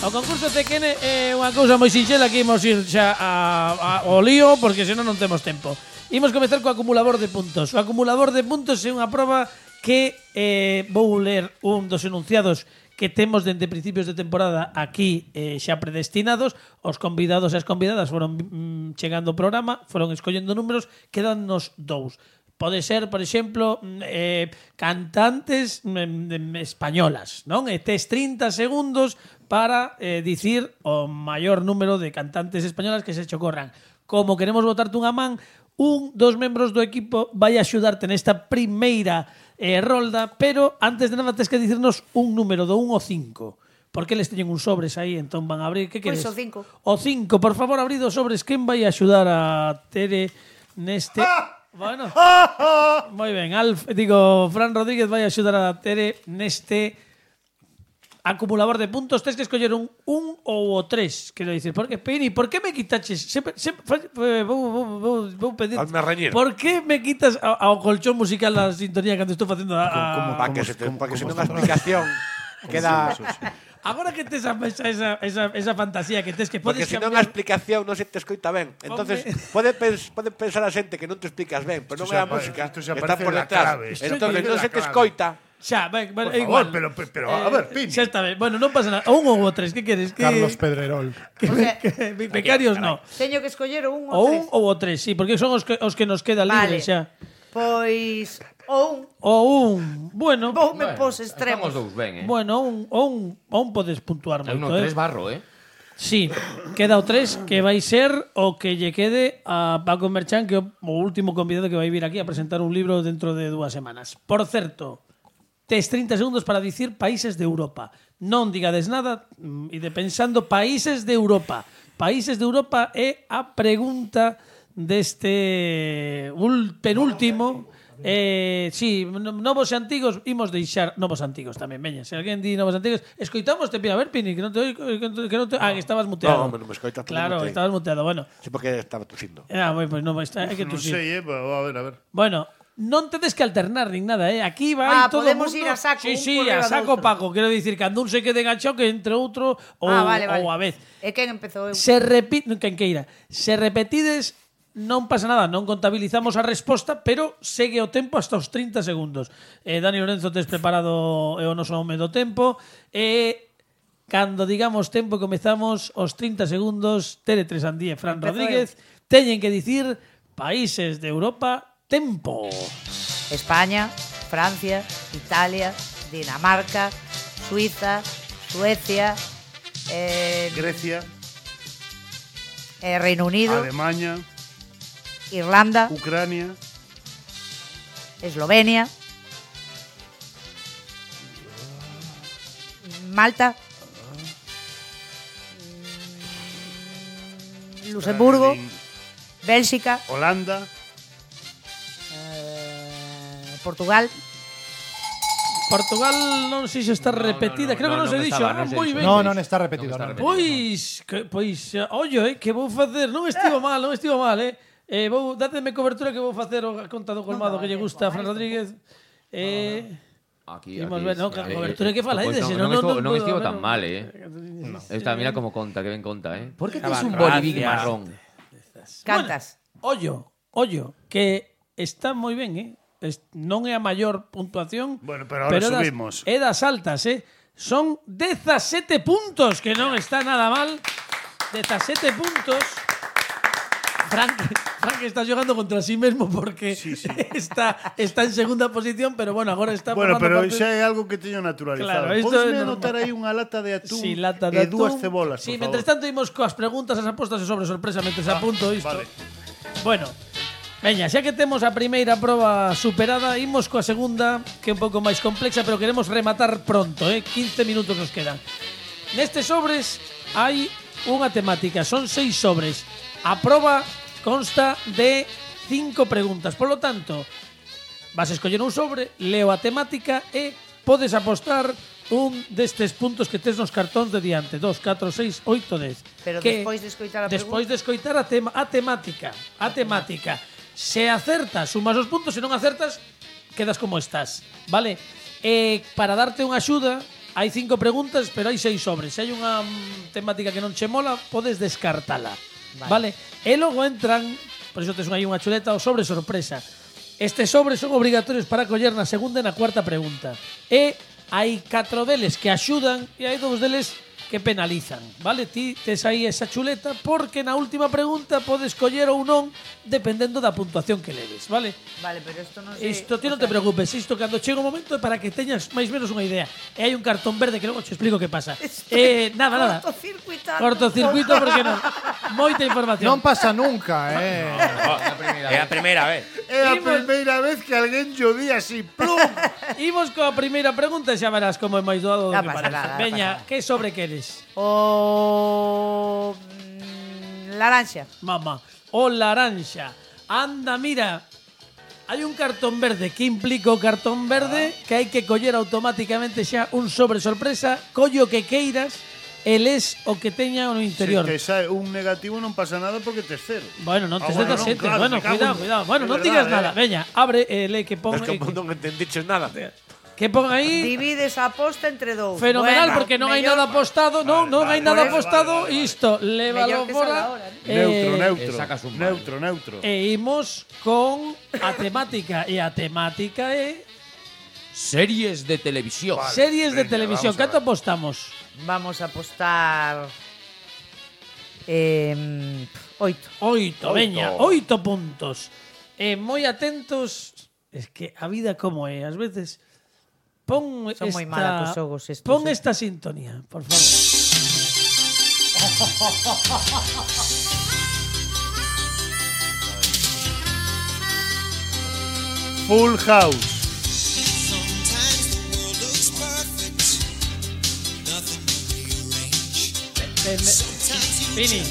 O concurso C Q N é unha cousa moi sinxela que imos ir xa a, a, ao lío porque senón non temos tempo. Imos comezar co acumulador de puntos. O acumulador de puntos é unha proba que eh, vou ler un dos enunciados que temos dende principios de temporada aquí eh, xa predestinados. Os convidados e as convidadas foron mm, chegando ao programa, foron escollendo números, quedannos dous. Pode ser, por exemplo, eh, cantantes mm, españolas, non? E tes trinta segundos para eh, dicir o maior número de cantantes españolas que se che ocorran. Como queremos botarte unha man, un dos membros do equipo vai axudarte nesta primeira eh, rolda, pero antes de nada tes que dicirnos un número do un ao cinco. Porque eles teñen uns sobres aí, entón van a abrir. Que Pois queres? o cinco. O cinco, por favor, abrid os sobres. Quen vai axudar a Tere neste... Bueno, moi ben. Alf, digo, Fran Rodríguez vai axudar a Tere neste acumulador de puntos. Tens que escoller un un ou o tres. Quero dicir, porque, Pini, por que me quitaches? Sempre, sempre, eh, vou, vou, vou, vou pedir. Hazme reñir. Por que me quitas ao, ao colchón musical da sintonía cando estou facendo a... a... Para que se te, para que se non a explicación queda... Agora que tes a, esa, esa, esa, esa fantasía que tes que Porque podes se non a cambiar... explicación non se te escoita ben. Entonces pode, pens, pode pensar a xente que non te explicas ben, pero non Isto é a xa pa- música isto xa está parece por la detrás. clave. Isto Entonces parece non la se te clave. escoita. Xa, ben, bueno, Por é favor, igual. pero, pero a ver, Pini. Xa está ben. Bueno, non pasa nada. O un ou o tres, que queres? Que, Carlos Pedrerol. que, O sea, que, que becarios no. Teño que escoller o un O ou un tres. ou o tres, sí, porque son os que, os que nos queda Vale. libres xa. Pois o un. O un, bueno, Vou me Bueno, pos estamos extremos. dous ben, eh? bueno, un, o un, o un podes puntuar É un moito, tres eh? barro, eh? Sí, queda o tres que vai ser o que lle quede a Paco Merchán, que é o o último convidado que vai vir aquí a presentar un libro dentro de dúas semanas. Por certo, tes trinta segundos para dicir países de Europa. Non digades nada, mm, ide pensando países de Europa. Países de Europa é a pregunta deste ul- penúltimo. Eh, sí, no- novos e antigos, imos deixar novos e antigos tamén, veña. Se alguén di novos e antigos, escoitamos te pira, a ver, Pini, que non te oigo, que non te, que non te, ah, que estabas muteado. No, non me escoitas, Claro, non te- estabas muteado, bueno. Sí, porque estaba tusindo. Ah, bueno, pues no, está, hai que Non tusir. sei, eh, pero a ver, a ver. Bueno, non tedes que alternar nin nada, eh. Aquí vai Ah, todo podemos o mundo. ir a saco, Sí, un sí, por a riba do saco outro. Paco, quero dicir que cando un se quede enganchado que entre outro ou, Ah, vale, vale. ou a vez. E quen empezou eu? Se repite, quen queira. Se repetides, non pasa nada, non contabilizamos a resposta, pero segue o tempo hasta os trinta segundos. Eh, Dani Lorenzo, tes preparado e o noso home do tempo. E cando digamos tempo, comezamos os trinta segundos. Tere Tresandí e Fran Empezo Rodríguez teñen que dicir países de Europa, tempo. España, Francia, Italia, Dinamarca, Suiza, Suecia, eh, Grecia, eh, Reino Unido, Alemania, Irlanda, Ucrania, Eslovenia, Malta, mm, Luxemburgo, Berlín, Bélxica, Holanda, eh, Portugal. Portugal non sei se está No, no, repetida, no, creo que no, non se non dixo. estaba, Ah, non se moi dixo. ben. No, non está repetido. Non está non. repetido. Pois, que, pois, eh, ollo, eh, que vou facer, non estivo mal, non estivo mal, eh. Eh, vou, dáteme cobertura que vou facer o a conta do colmado que lle gusta a Fran Rodríguez. Eh, Aquí, Imos aquí, ver, no, sí, que eh, cobertura eh, que fala, pois eh, non, se non, non- estivo, non non puedo, estivo a ver, tan non. mal, eh. Esta, mira como conta, que ben conta, eh. Por que tes un Gracias. bolivic marrón? Cantas. ollo, ollo, que está moi ben, eh. Es, non é a maior puntuación, Bueno, pero ahora é das, subimos. é das altas, eh. son dezasete puntos, que non está nada mal. dezasete puntos. Frank, Frank está jugando contra sí mesmo porque sí, sí. Está, está en segunda posición, pero bueno, agora está Bueno, pero parte... xa é algo que teño naturalizado. Claro, Podes anotar aí unha lata de atún sí, lata de e dúas atún. cebolas, Sí, por mientras favor. tanto imos coas preguntas, as apostas e sobre sorpresa, mentre ah, apunto isto. Vale. Bueno, veña, xa que temos a primeira proba superada, imos coa segunda, que é un pouco máis complexa, pero queremos rematar pronto, eh? quince minutos nos quedan. Nestes sobres hai unha temática, son seis sobres. A proba consta de cinco preguntas. Por lo tanto, vas a escoller un sobre, leo a temática e podes apostar un destes puntos que tes nos cartóns de diante. Dos, catro, seis, oito, dez. Pero que despois de escoitar a Despois pregunta... de escoitar a, tema, a temática. A temática. Se acertas, sumas os puntos. Se non acertas, quedas como estás. Vale? E para darte unha axuda, hai cinco preguntas, pero hai seis sobres. Se hai unha mm, temática que non che mola, podes descartala. Vale. vale? E logo entran, por iso tes aí unha chuleta, o sobre sorpresa. Estes sobres son obrigatorios para coller na segunda e na cuarta pregunta. E hai catro deles que axudan e hai dous deles que penalizan, vale? Ti tes aí esa chuleta porque na última pregunta podes coller ou non dependendo da puntuación que leves, vale? Vale, pero isto non sei... Isto ti non te preocupes, isto cando chega o momento é para que teñas máis menos unha idea. E hai un cartón verde que logo te explico que pasa. Eh, nada, nada. Cortocircuitando. Cortocircuito porque non. Moita información. Non pasa nunca, eh. É a primeira vez. É a primeira vez que alguén llo di así, plum. Imos coa primeira pregunta e xa verás como é máis doado do Non que pasa parece. nada, non Veña, pasa nada. que sobre queres? O... mm, Laranxa. Mamá, o laranxa. Anda, mira. Hai un cartón verde. Que implica o cartón verde? Que hai que coller automáticamente xa un sobre sorpresa. Collo que queiras e les o que teña no interior. Se te sae un negativo non pasa nada porque tes cero. Bueno, non Ah, tes bueno, dezasete. non, claro, Bueno, me cago cuidado, en- cuidado. Bueno, é non verdade, digas eh. nada. Veña, abre e le que pon Es que que, non entendiches nada. que pon aí. Divides a aposta entre dous. Fenomenal, Bueno, porque non hai mellor- nada apostado, non, non hai vale, nada vale, apostado, vale, vale. isto, lévalo Mellor que fora. salga ahora, ¿no? eh, Neutro, neutro. e sacas un mal. Neutro, neutro. E imos con a temática, e a temática é Series de televisión. Vale, series de veña, televisión. vamos a Canto ver. apostamos? Vamos a apostar... Eh, oito. Oito, veña, oito puntos. E moi atentos, es que a vida como é, ás veces pon Son esta, moi mala cos xogos estos, pon eh. esta sintonía, por favor. Full House. Sometimes the world looks perfect, nothing rearranged. Eh, me- Fini,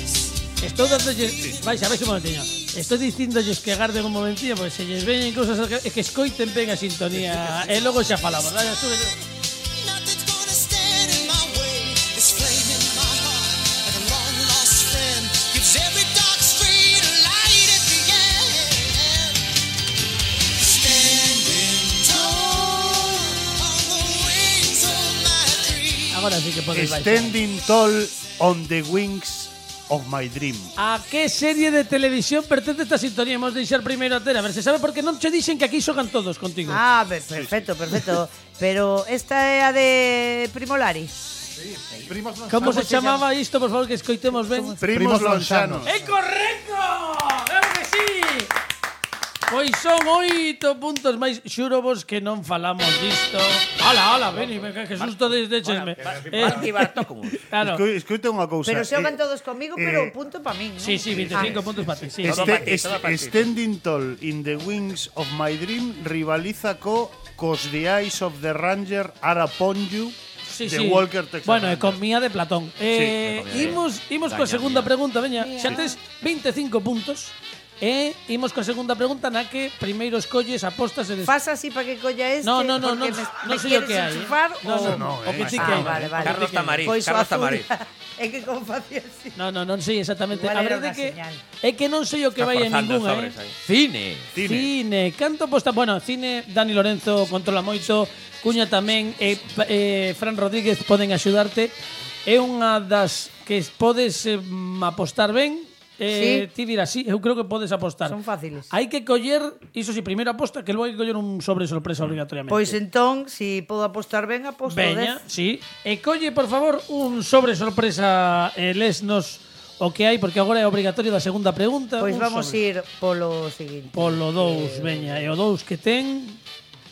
estou dándolles, vais a ver un momentinho. Estou dicíndolles que agarden un momentinho porque se lles veñen cousas é que escoiten ben a sintonía e logo xa falamos. Dale, sube. Nothing's gonna stand in my way. This flame in my heart, like a long lost friend, gives every dark street a light at the end. Standing tall on the wings of my dream. Agora sí que podes baixar. Standing tall on the wings of my dream. A que serie de televisión pertence esta sintonía? Hemos de deixar primeiro a ter, a ver se sabe, porque non che dixen que aquí xogan todos contigo. Ah, be- perfecto, perfecto. Pero esta é a de Primolari. Primos non Como sabemos. se chamaba isto, por favor, que escoitemos ben? Primos Primos Lonxanos. Lonxanos. ¡É correcto! Claro que sí! Pois son oito puntos máis. Xuro vos que non falamos disto. Ala, ala, veni, que susto desde chesme. Marti Bartócomos. Claro. Esco- Escoita unha cousa. Pero xogan eh, todos comigo, eh, pero punto para min, ¿no? Sí, sí, veinticinco Ah. puntos para ti. Sí. Todo Este, pa ti, este- todo pa ti. Standing tall in the wings of my dream rivaliza co cos the eyes of the ranger are upon you. Sí, de sí. Walker Texas Bueno, e Ranger. con mía de Platón. Eh, imos imos coa segunda pregunta, veña. Xa tes veinticinco puntos. E imos coa segunda pregunta na que primeiro escolles apostas e des... Faz así para que colla este. No, no, no, porque no, me, non me sei o quieres que hai. enchufar No, no, o- no, o que ti Ah, queiras. vale, vale. Carlos Tamariz, Pois o Carlos azul. Tamariz. É que como facía así. No, no, non sei exactamente. Igual A era verdade unha que señal. é que non sei o que vai en Reforzando ningunha, sobres eh. aí. Cine. Cine. Cine. Canto posta, bueno, cine, Dani Lorenzo controla moito, Cuña tamén e eh, Fran Rodríguez poden axudarte. É unha das que podes eh, apostar ben. Eh, ti dirás, sí, eu creo que podes apostar. Son fáciles. Hai que coller, iso si, primeiro aposta, que logo hai que coller un sobre sorpresa obligatoriamente. Pois entón, si podo apostar ben, aposto Veña, dez. sí. E colle, por favor, un sobre sorpresa e lesnos o que hai, porque agora é obrigatorio da segunda pregunta. Pois un vamos sobre. ir polo seguinte. Polo dous, veña. E o dous que ten...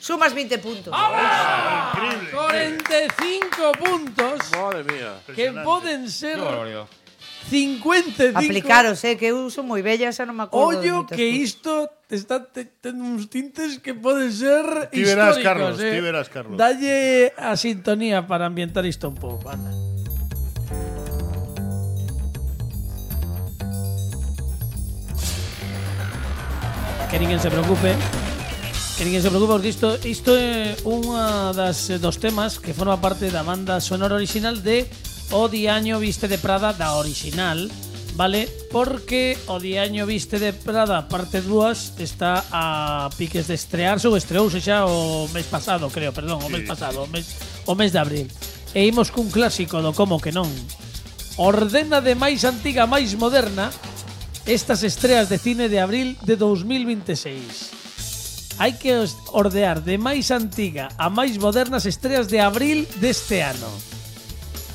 Sumas vinte puntos. ¡Ah! cuarenta y cinco puntos. Madre mía. Que poden ser cincuenta y cinco. Aplicaros, eh, que eu son moi bella, xa non me acordo. Ollo que isto está te, ten uns tintes que poden ser Ti verás, históricos. Carlos, eh. ti verás, Carlos. Dalle a sintonía para ambientar isto un pouco, anda. Que ninguén se preocupe. Que ninguén se preocupe, porque isto, isto é unha das dos temas que forma parte da banda sonora original de O Diaño Viste de Prada, da original, vale? Porque O Diaño Viste de Prada parte dúas está a piques de estrearse, ou estreouse xa o mes pasado, creo, perdón, o mes pasado, o mes, o mes de abril. E imos cun clásico do Como que non. Ordena de máis antiga a máis moderna estas estreas de cine de abril de dos mil veintiséis. Hai que ordear de máis antiga a máis modernas estreas de abril deste ano.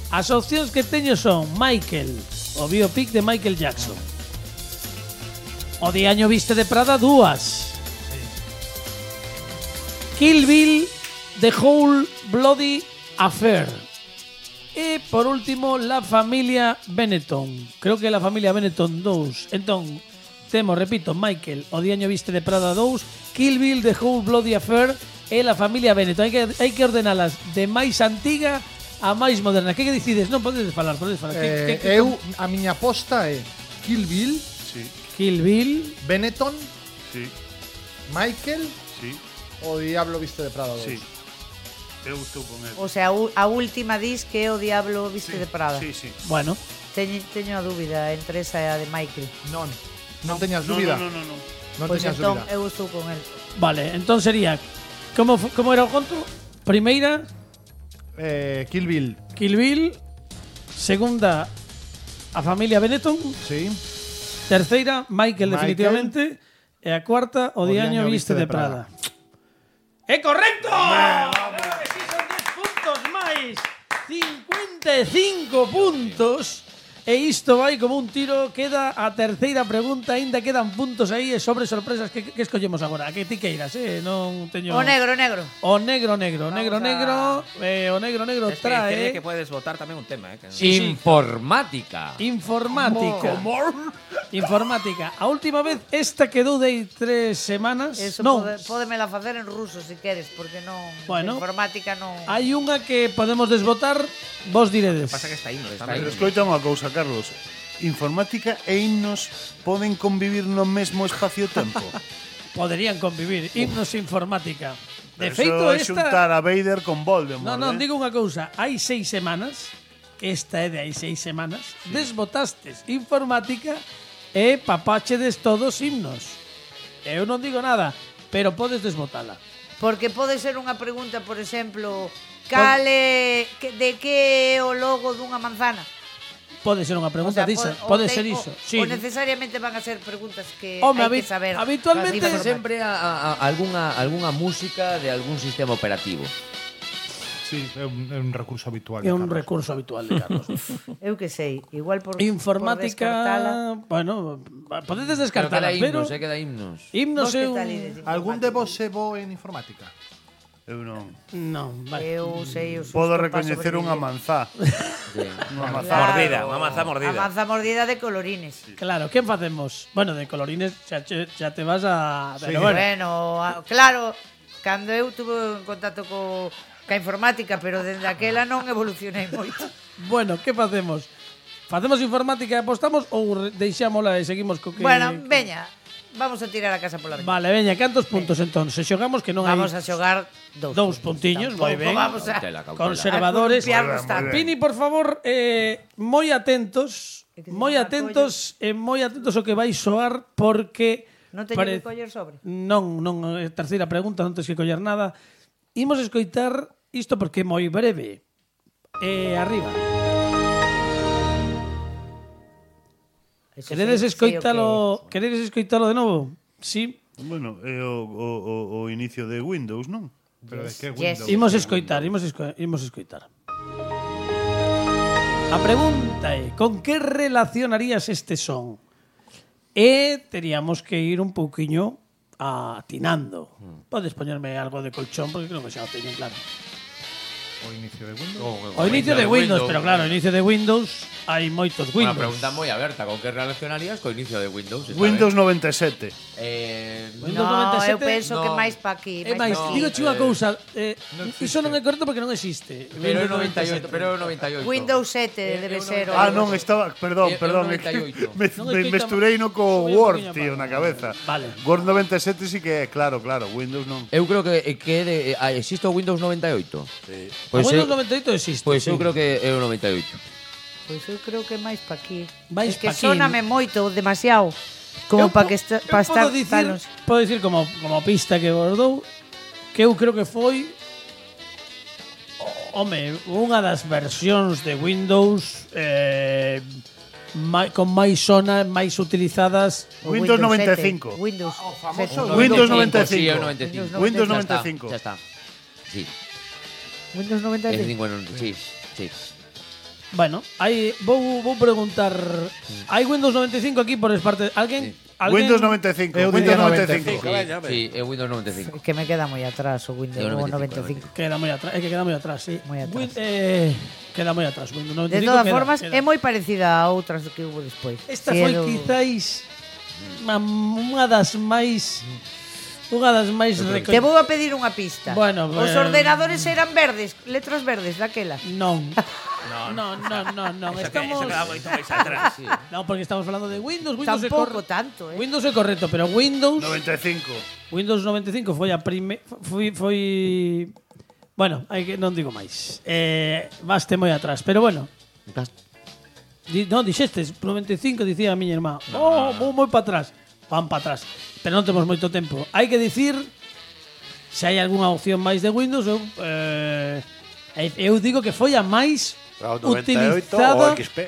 As opcións que teño son Michael, o biopic de Michael Jackson. O Diaño Viste de Prada, dúas. Kill Bill, The Whole Bloody Affair. E, por último, La Familia Benetton. Creo que La Familia Benetton dous. Entón, temos, repito, Michael, O Diaño Viste de Prada dous, Kill Bill, The Whole Bloody Affair e La Familia Benetton. Hai que, hai que ordenalas de máis antiga a máis moderna. Que que decides? Non podes falar, podes falar. Eh, que, que, eu, a miña aposta é Kill Bill, Sí, Kill Bill, Benetton, sí, Michael, sí, o Diablo Viste de Prada dous. sí. Eu estou con ele. O sea, a última dis que é O Diablo Viste de Prada. Sí, sí. bueno, Teño, teño a dúbida entre esa e a de Michael. Non, non teñas No, dúbida. no, no, no, no. Non Pois teñas entón dúbida. eu estou con el. vale, entón sería como, fu- como era o conto? Primeira, Eh, Kill Bill, Kill Bill. Segunda, A Familia Benetton. sí. Terceira, Michael, Michael. definitivamente. E a cuarta, O, O Diaño Diaño Viste de Viste de Prada. Prada. ¡É correcto! Claro que sí, son dez puntos máis. cincuenta e cinco puntos. E isto vai como un tiro. Queda a terceira pregunta. Ainda quedan puntos aí e sobre sorpresas. Que, que escollemos agora? A que ti queiras, eh? Non teño... O negro, negro. O negro, negro. Vamos negro, a- negro. Eh, o negro, negro Es que trae... tiene que puedes votar tamén un tema, eh. Que Sí, sí. Informática. Informática. Informática. A última vez esta quedou de tres semanas. Eso non, pode, pódemela facer en ruso se queres, porque non Bueno. informática non. hai unha que podemos desbotar. Vos diredes. pasa que está himno, está Pero himno. escoita unha cousa, Carlos. Informática e himnos poden convivir no mesmo espacio-tempo. Poderían convivir. Himnos informática. De Eso feito, é xuntar esta... a Vader con Voldemort. Non, non, eh? digo unha cousa. Hai seis semanas, que esta é de hai seis semanas, desbotastes informática e papáchedes todos himnos. Eu non digo nada, pero podes desbotala. Porque pode ser unha pregunta, por exemplo, cale que, de que é o logo dunha manzana? Pode ser unha pregunta disa. Pode, o ser te- iso. O, Sí. o necesariamente van a ser preguntas que Home, hai habi- que saber. habitualmente Para Sempre a, a, a alguna, alguna música de algún sistema operativo. Sí, é un, é un recurso habitual. É de un Carlos. recurso habitual de Carlos. Eu que sei, igual por Informática, por descartala. bueno, podedes Pero descartala, queda pero himnos, eh, queda himnos. himnos Vos é que un... tal ides de Algún de informática? vos se bo en informática? Eu non. Non, vale. Eu sei o susto Podo pa recoñecer sobrevivir. unha manzá. Sí. Unha manzá. Claro. Mordida, unha manzá mordida. A manza mordida de colorines. Claro, quen facemos? Bueno, de colorines xa, che- xa te vas a... Sí, Pero bueno, bueno, a- claro, cando eu tuve en contacto co ca informática, pero dende aquela non evolucionei moito. bueno, que facemos? Facemos informática e apostamos ou re- deixámola e seguimos co que... Bueno, veña, vamos a tirar a casa pola ventana. Vale, veña, cantos puntos entón? Se xogamos que non Vamos hai a xogar dous, dous puntiños, moi ben. Vamos a, Cautela, cautela. Conservadores. a columpiarnos tanto. Pini, por favor, eh, moi atentos, É que se moi llama atentos e moi atentos ao que vai soar porque Non teño pare- que coller sobre. Non, non, é terceira pregunta, non tens que coller nada. Imos escoitar isto porque é moi breve. E arriba. Eso Queredes sei- sei o escoitalo, queredes escoitalo de novo? Sí. Bueno, é o, o, o, o inicio de Windows, non? Pero de que Yes. Windows? Imos escoitar, imos, esco imos escoitar. A pregunta é, con que relacionarías este son? E teríamos que ir un pouquiño atinando. Podes poñerme algo de colchón porque creo que xa o teño claro. O inicio de Windows. O inicio de Windows, pero claro, o inicio de Windows hai moitos Unha Windows. pregunta moi aberta, con que relacionarías co inicio de Windows? Está Windows ben. noventa e sete. Eh, Windows No, noventa e eu sete. penso que no. máis pa aquí. É máis, pa aquí. digo unha eh, cousa, eh, non iso non é correcto porque non existe. pero é Windows noventa e oito, pero é noventa e oito. Windows sete Eh, debe eu ser. Ah, o- non, estaba, perdón, É- é perdón, un é que noventa e oito. me, Non me escoitamos- mesturei no co Voy un Word, poquinho tío, para- na cabeza. Vale. Word noventa e sete sí que é, claro, claro, Windows non. Eu creo que que é de, ah, existe o Windows noventa e oito. Sí. Pois o Windows eu, noventa e oito existe. pois sí. eu creo que é o noventa e oito. Pois eu creo que máis pa aquí. Máis é que pa aquí. sóname moito, demasiado. Como Eu para po- que esta, eu pa estar podo dicir, tal, podo dicir como, como pista que vos dou que eu creo que foi o- home, unha das versións de Windows eh, mai, con máis zona, máis utilizadas. o Windows noventa e sete. cinco. Windows. famoso sete. Windows noventa e Sí, é cinco. o noventa e cinco. Windows Ya noventa e está, cinco. Ya está. Sí, Windows noventa é e cinco. cinco, sí, sí. Bueno, hai vou vou preguntar, hai Windows noventa e cinco aquí por parte alguén? alguén? Windows noventa e cinco. Eu Windows diría noventa e noventa e cinco. cinco. Veña, Sí, é Windows noventa e cinco. Que me queda moi atrás o Windows É o o noventa noventa e e cinco, cinco. Queda moi atrás, é que queda moi atrás, sí. Moi atrás. Win- eh, queda moi atrás, Windows noventa e De cinco. todas queda, formas, queda. é moi parecida a outras que hubo despois. Esta Si é foi do- quizáis unha, unha das máis unha das máis reco- Te vou a pedir unha pista. Bueno, Os eh, ordenadores eran verdes, letras verdes daquela. Non. No, no, no, no, no. Estamos moito máis atrás. No, porque estamos falando de Windows, Windows é Tampouco correcto. tanto, eh. Windows é correcto, pero Windows noventa e cinco. Windows noventa e cinco foi a prime foi foi bueno, hai que non digo máis. Eh, vaste moi atrás, pero bueno. Di, non dixestes noventa e cinco dicía a miña irmá. Oh, vou moi para atrás. Van para atrás. Pero non temos moito tempo. Hai que dicir se hai algunha opción máis de Windows, eu eh, eu digo que foi a máis O noventa e oito utilizada. o X P.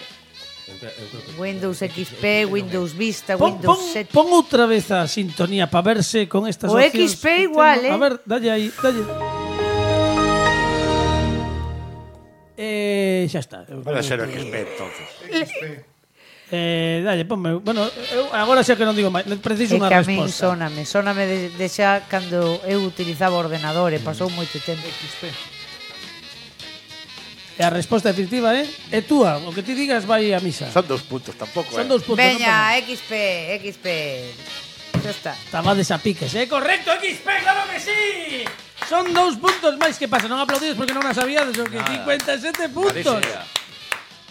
Windows X P, Windows Vista, Pon, pon, Windows sete. pon outra vez a sintonía para verse con estas O opcións X P que igual, temos. eh. A ver, dalle aí, dalle. Eh, xa está. Eu Pode creo ser o que- X P entonces. Eh, dalle, ponme. Bueno, eu agora xa que non digo máis, preciso É unha que a min resposta. sóname, sóname de, de xa cando eu utilizaba o ordenador e pasou moito tempo. X P. E a resposta definitiva é é túa, o que ti digas vai a misa. Son dos puntos tampouco, Son eh. dous puntos. Veña, X P, X P. Xa está. Tabades a piques, é correcto, X P, claro que sí. Son dous puntos máis, que pasa? Non aplaudides porque non as sabíades, o que cincuenta e sete puntos.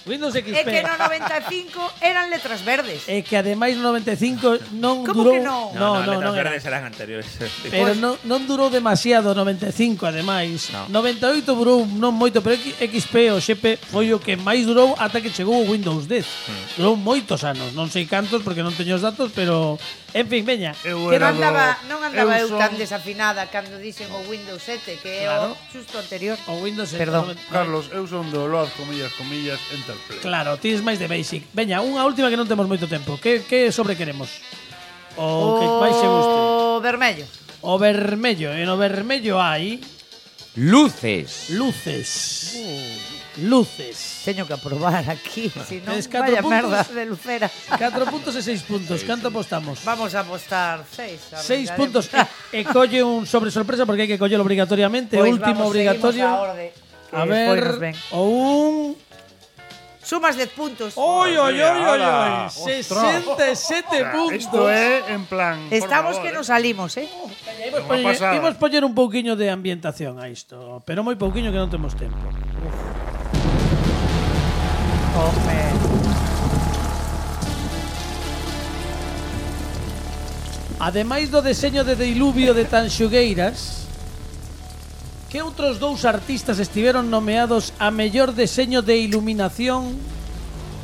Windows X P. É que no noventa e cinco eran letras verdes. É que ademais no noventa e cinco non Como durou. que non? No, No, no, no, non letras era. verdes eran anteriores. Pero non, non durou demasiado o noventa e cinco, ademais. No. noventa e oito durou non moito, pero X P ou X P foi o que máis durou ata que chegou o Windows dez. Durou moitos anos, non sei cantos porque non teño os datos, pero en fin, veña. Eu Que era non do- andaba, non andaba eu, eu son- tan desafinada cando dixen o Windows sete, que é Claro. o xusto anterior. O Windows Perdón. noventa- Carlos, eu son do Load, comillas, comillas, Enterplay. Claro, tienes máis de basic. Veña, unha última que non temos moito tempo. Que, que sobre queremos? O, que máis se guste. O vermello. O vermello. E no vermello hai Luces. luces. Luces. Teño que aprobar aquí, si non, Tes catro vaya puntos. merda de lucera. catro puntos e seis puntos. Canto apostamos? Vamos a apostar seis. seis puntos. E, e colle un sobre sorpresa porque hai que collelo obrigatoriamente. Pois Último vamos, obrigatorio. seguimos a orde, que A despois nos ver. ven. O un. Sumas dez puntos. ¡Oy, oy, oy, oy, oy! Ala, sesenta e sete puntos. Isto é en plan. por Estamos favor, que eh. nos salimos, eh? Imos Unha poñer, pasada. imos poñer un pouquiño de ambientación a isto, pero moi pouquiño que non temos tempo. Home. Ademais do deseño de Diluvio de Tanxugueiras, que outros dous artistas estiveron nomeados a mellor deseño de iluminación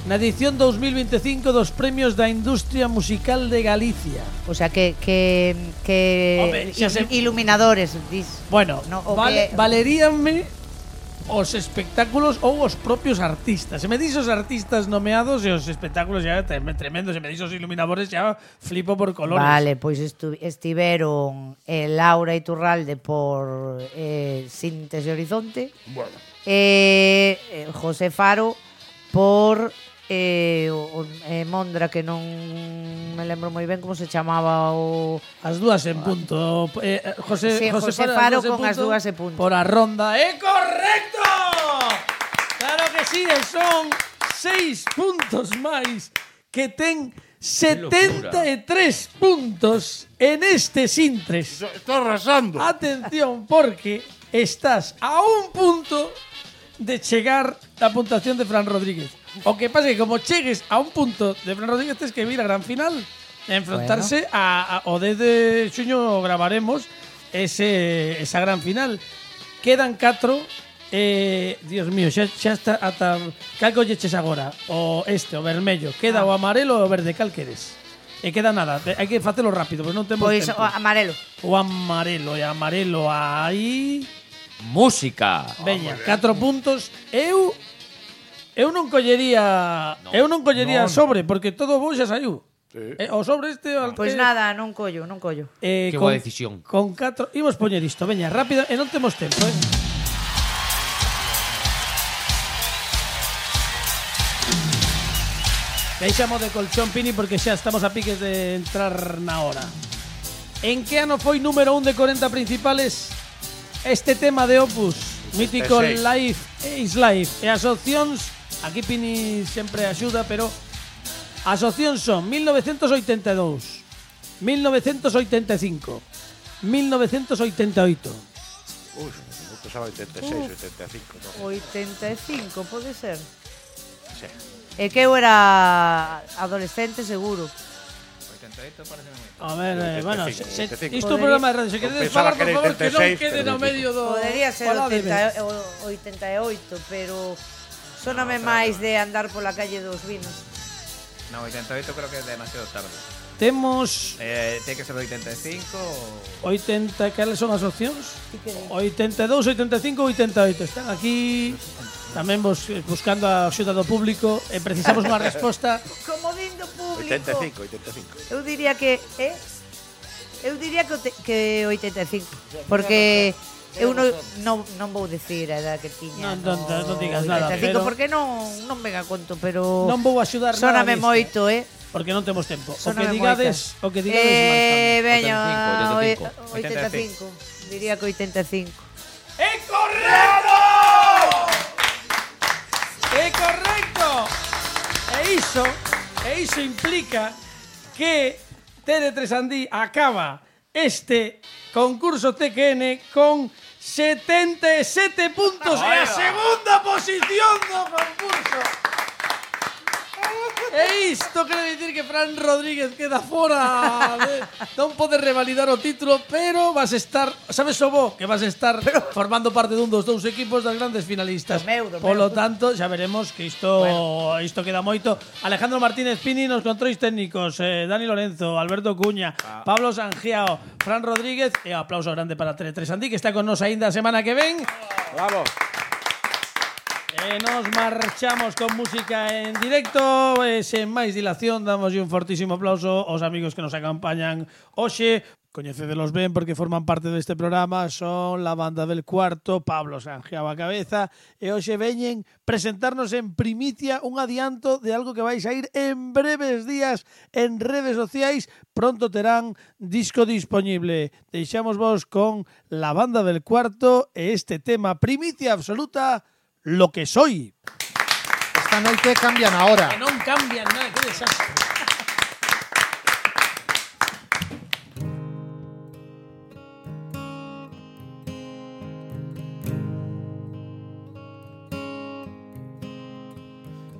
na edición dos mil veinticinco dos Premios da Industria Musical de Galicia? O sea, que que que Home, xa se- iluminadores, dis. Bueno, No, o vale, que- valeríanme os espectáculos ou os propios artistas. Se me dis os artistas nomeados e os espectáculos xa tremendo, se me dis os iluminadores xa flipo por colores. Vale, pois estu- estiveron eh, Laura Iturralde por eh, Síntese Horizonte, Bueno. eh, eh, José Faro por eh, o, o, eh, Mondra, que non me lembro moi ben como se chamaba o... As dúas en punto. Eh, José, Sí, José, José Faro, Faro con as dúas en punto. Por a ronda. ¡É correcto! Claro que sí, e son seis puntos máis que ten setenta e tres puntos en este Sintres. Está arrasando. Atención, porque estás a un punto de chegar a puntuación de Fran Rodríguez. O que pasa é que como chegues a un punto de Fran Rodríguez tens que vir a gran final e enfrontarse bueno. a, a o dez de xuño gravaremos ese esa gran final. Quedan catro. Eh, Dios mío, xa, xa está ata cal colleches agora, o este, o vermello, queda ah. o amarelo ou o verde, cal queres? E queda nada, hai que facelo rápido, pois non temos Pois tempo. o amarelo. O amarelo, e amarelo aí. Música. Veña, catro puntos. Eu eu non collería, no. eu non collería No, no. sobre porque todo bo xa saiu. Sí. Eh, o sobre este Pois pues eh, nada, non collo, non collo. Eh, Que con, boa decisión. Con catro, imos poñer isto, veña, rápido, e non temos tempo, eh. Deixamos de colchón, Pini, porque xa estamos a piques de entrar na hora. En que ano foi número un de corenta principales este tema de Opus? Mítico Life is Life. E as opcións, aquí Pini sempre axuda, pero as opcións son mil novecentos oitenta e dous, mil novecentos oitenta e cinco, mil novecentos oitenta e oito. Ui, non pensaba oitenta e seis, oitenta e cinco, non. oitenta e cinco, pode ser. Sí. É que eu era adolescente seguro. oitenta e oito parece moi. A ver, eh, bueno, se, se, oitenta e cinco. isto é un programa de radio. Se queredes Pensaba falar, que por era favor, que non oitenta e seis, quede no pero medio do... Podería ser Faládeme. oitenta, oitenta e oito, pero sóname máis de andar pola calle dos Vinos. No, oitenta e oito creo que é demasiado tarde. Temos Eh, ten que ser oitenta e cinco ou... oitenta, cales son as opcións? Ti que di? oitenta e dous, oitenta e cinco, oitenta e oito. Están aquí tamén vos, buscando a axuda do público e precisamos unha resposta. Comodín do público. oitenta e cinco, oitenta e cinco. Eu diría que, eh? Eu diría que, te- que oitenta e cinco, porque eu non, non, non vou decir a edad que tiña. Non, non, non digas nada, oitenta e cinco, pero- porque non, non ven a conto, pero Non vou axudar nada sóname nisto, moito, eh? porque non temos tempo. O que Sóname digades, o que digades Eh, marcamos. veña, oitenta e cinco, oitenta e cinco. Diría que oitenta e cinco. ¡É correcto! ¡É correcto! E iso, e iso implica que T D tres Andí acaba este concurso T Q N con setenta e sete puntos e a segunda posición do concurso. E isto quere dicir que Fran Rodríguez queda fora de, non pode revalidar o título, pero vas estar, sabes o bo, que vas estar formando parte dun dos dous equipos das grandes finalistas. Do meu, do Polo meu. tanto, xa veremos que isto bueno. isto queda moito. Alejandro Martínez Pini nos controis técnicos, eh, Dani Lorenzo, Alberto Cuña, ah. Pablo Sangiao, Fran Rodríguez e aplauso grande para T D tres Andí, que está con nos aínda a semana que ven. Bravo. E nos marchamos con música en directo e sen máis dilación damos un fortísimo aplauso aos amigos que nos acompañan hoxe. Coñecedelos ben porque forman parte deste programa. Son la banda del cuarto, Pablo Sangiao a cabeza, e hoxe veñen presentarnos en primicia un adianto de algo que vai sair en breves días en redes sociais. Pronto terán disco disponible. Deixamos vos con la banda del cuarto e este tema primicia absoluta, Lo que soy. Esta noite cambian a hora. Que non cambian nada, que desastre.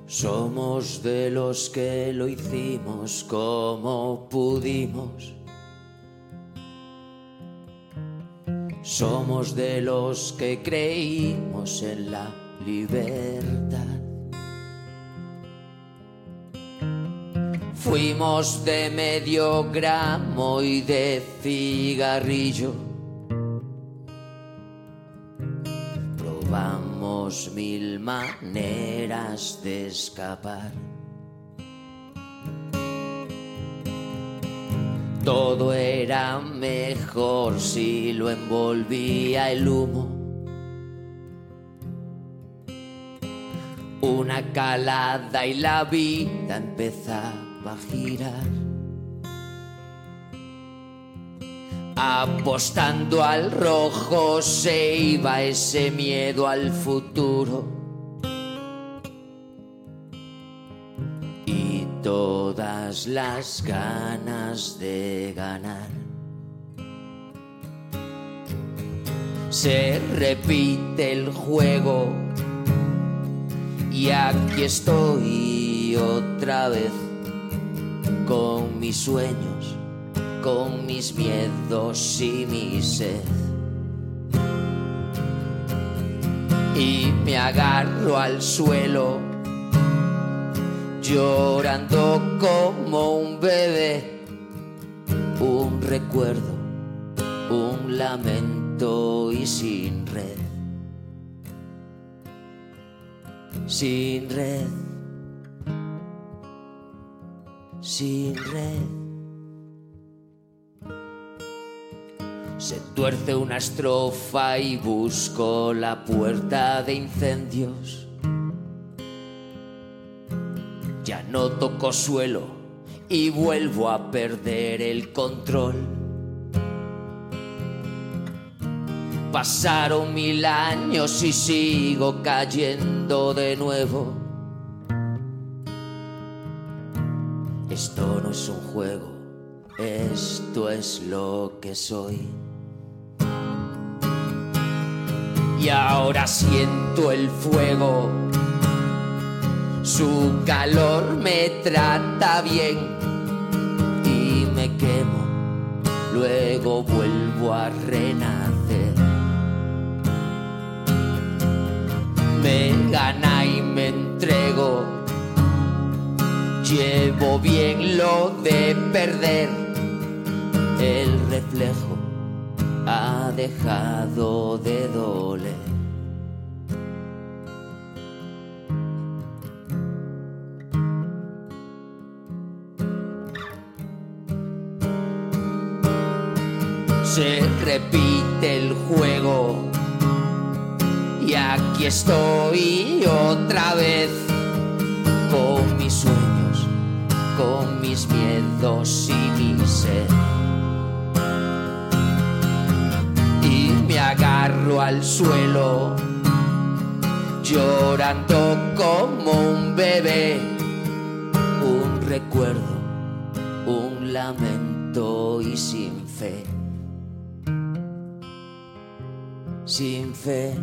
Somos de los que lo hicimos como pudimos. Somos de los que creímos en la libertad. Fuimos de medio gramo y de cigarrillo. Probamos dos mil maneras de escapar. Todo era mejor si lo envolvía el humo. Una calada y la vida empezaba a girar. Apostando al rojo se iba ese miedo al futuro. Y todas las ganas de ganar. Se repite el juego y aquí estoy otra vez con mis sueños, con mis miedos y mi sed. Y me agarro al suelo, llorando como un bebé. Un recuerdo, un lamento y sin red. Sin red, sin red. Se tuerce una estrofa y busco la puerta de incendios. Ya no toco suelo y vuelvo a perder el control. Pasaron mil años y sigo cayendo de nuevo. Esto no es un juego, esto es lo que soy. Y ahora siento el fuego, su calor me trata bien y me quemo, luego vuelvo a renacer. Me gana y me entrego, llevo bien lo de perder. El reflejo ha dejado de doler. Se repite el juego y aquí estoy otra vez con mis sueños, con mis miedos y mi sed. Y me agarro al suelo, llorando como un bebé. Un recuerdo, un lamento y sin fe. Sin fe.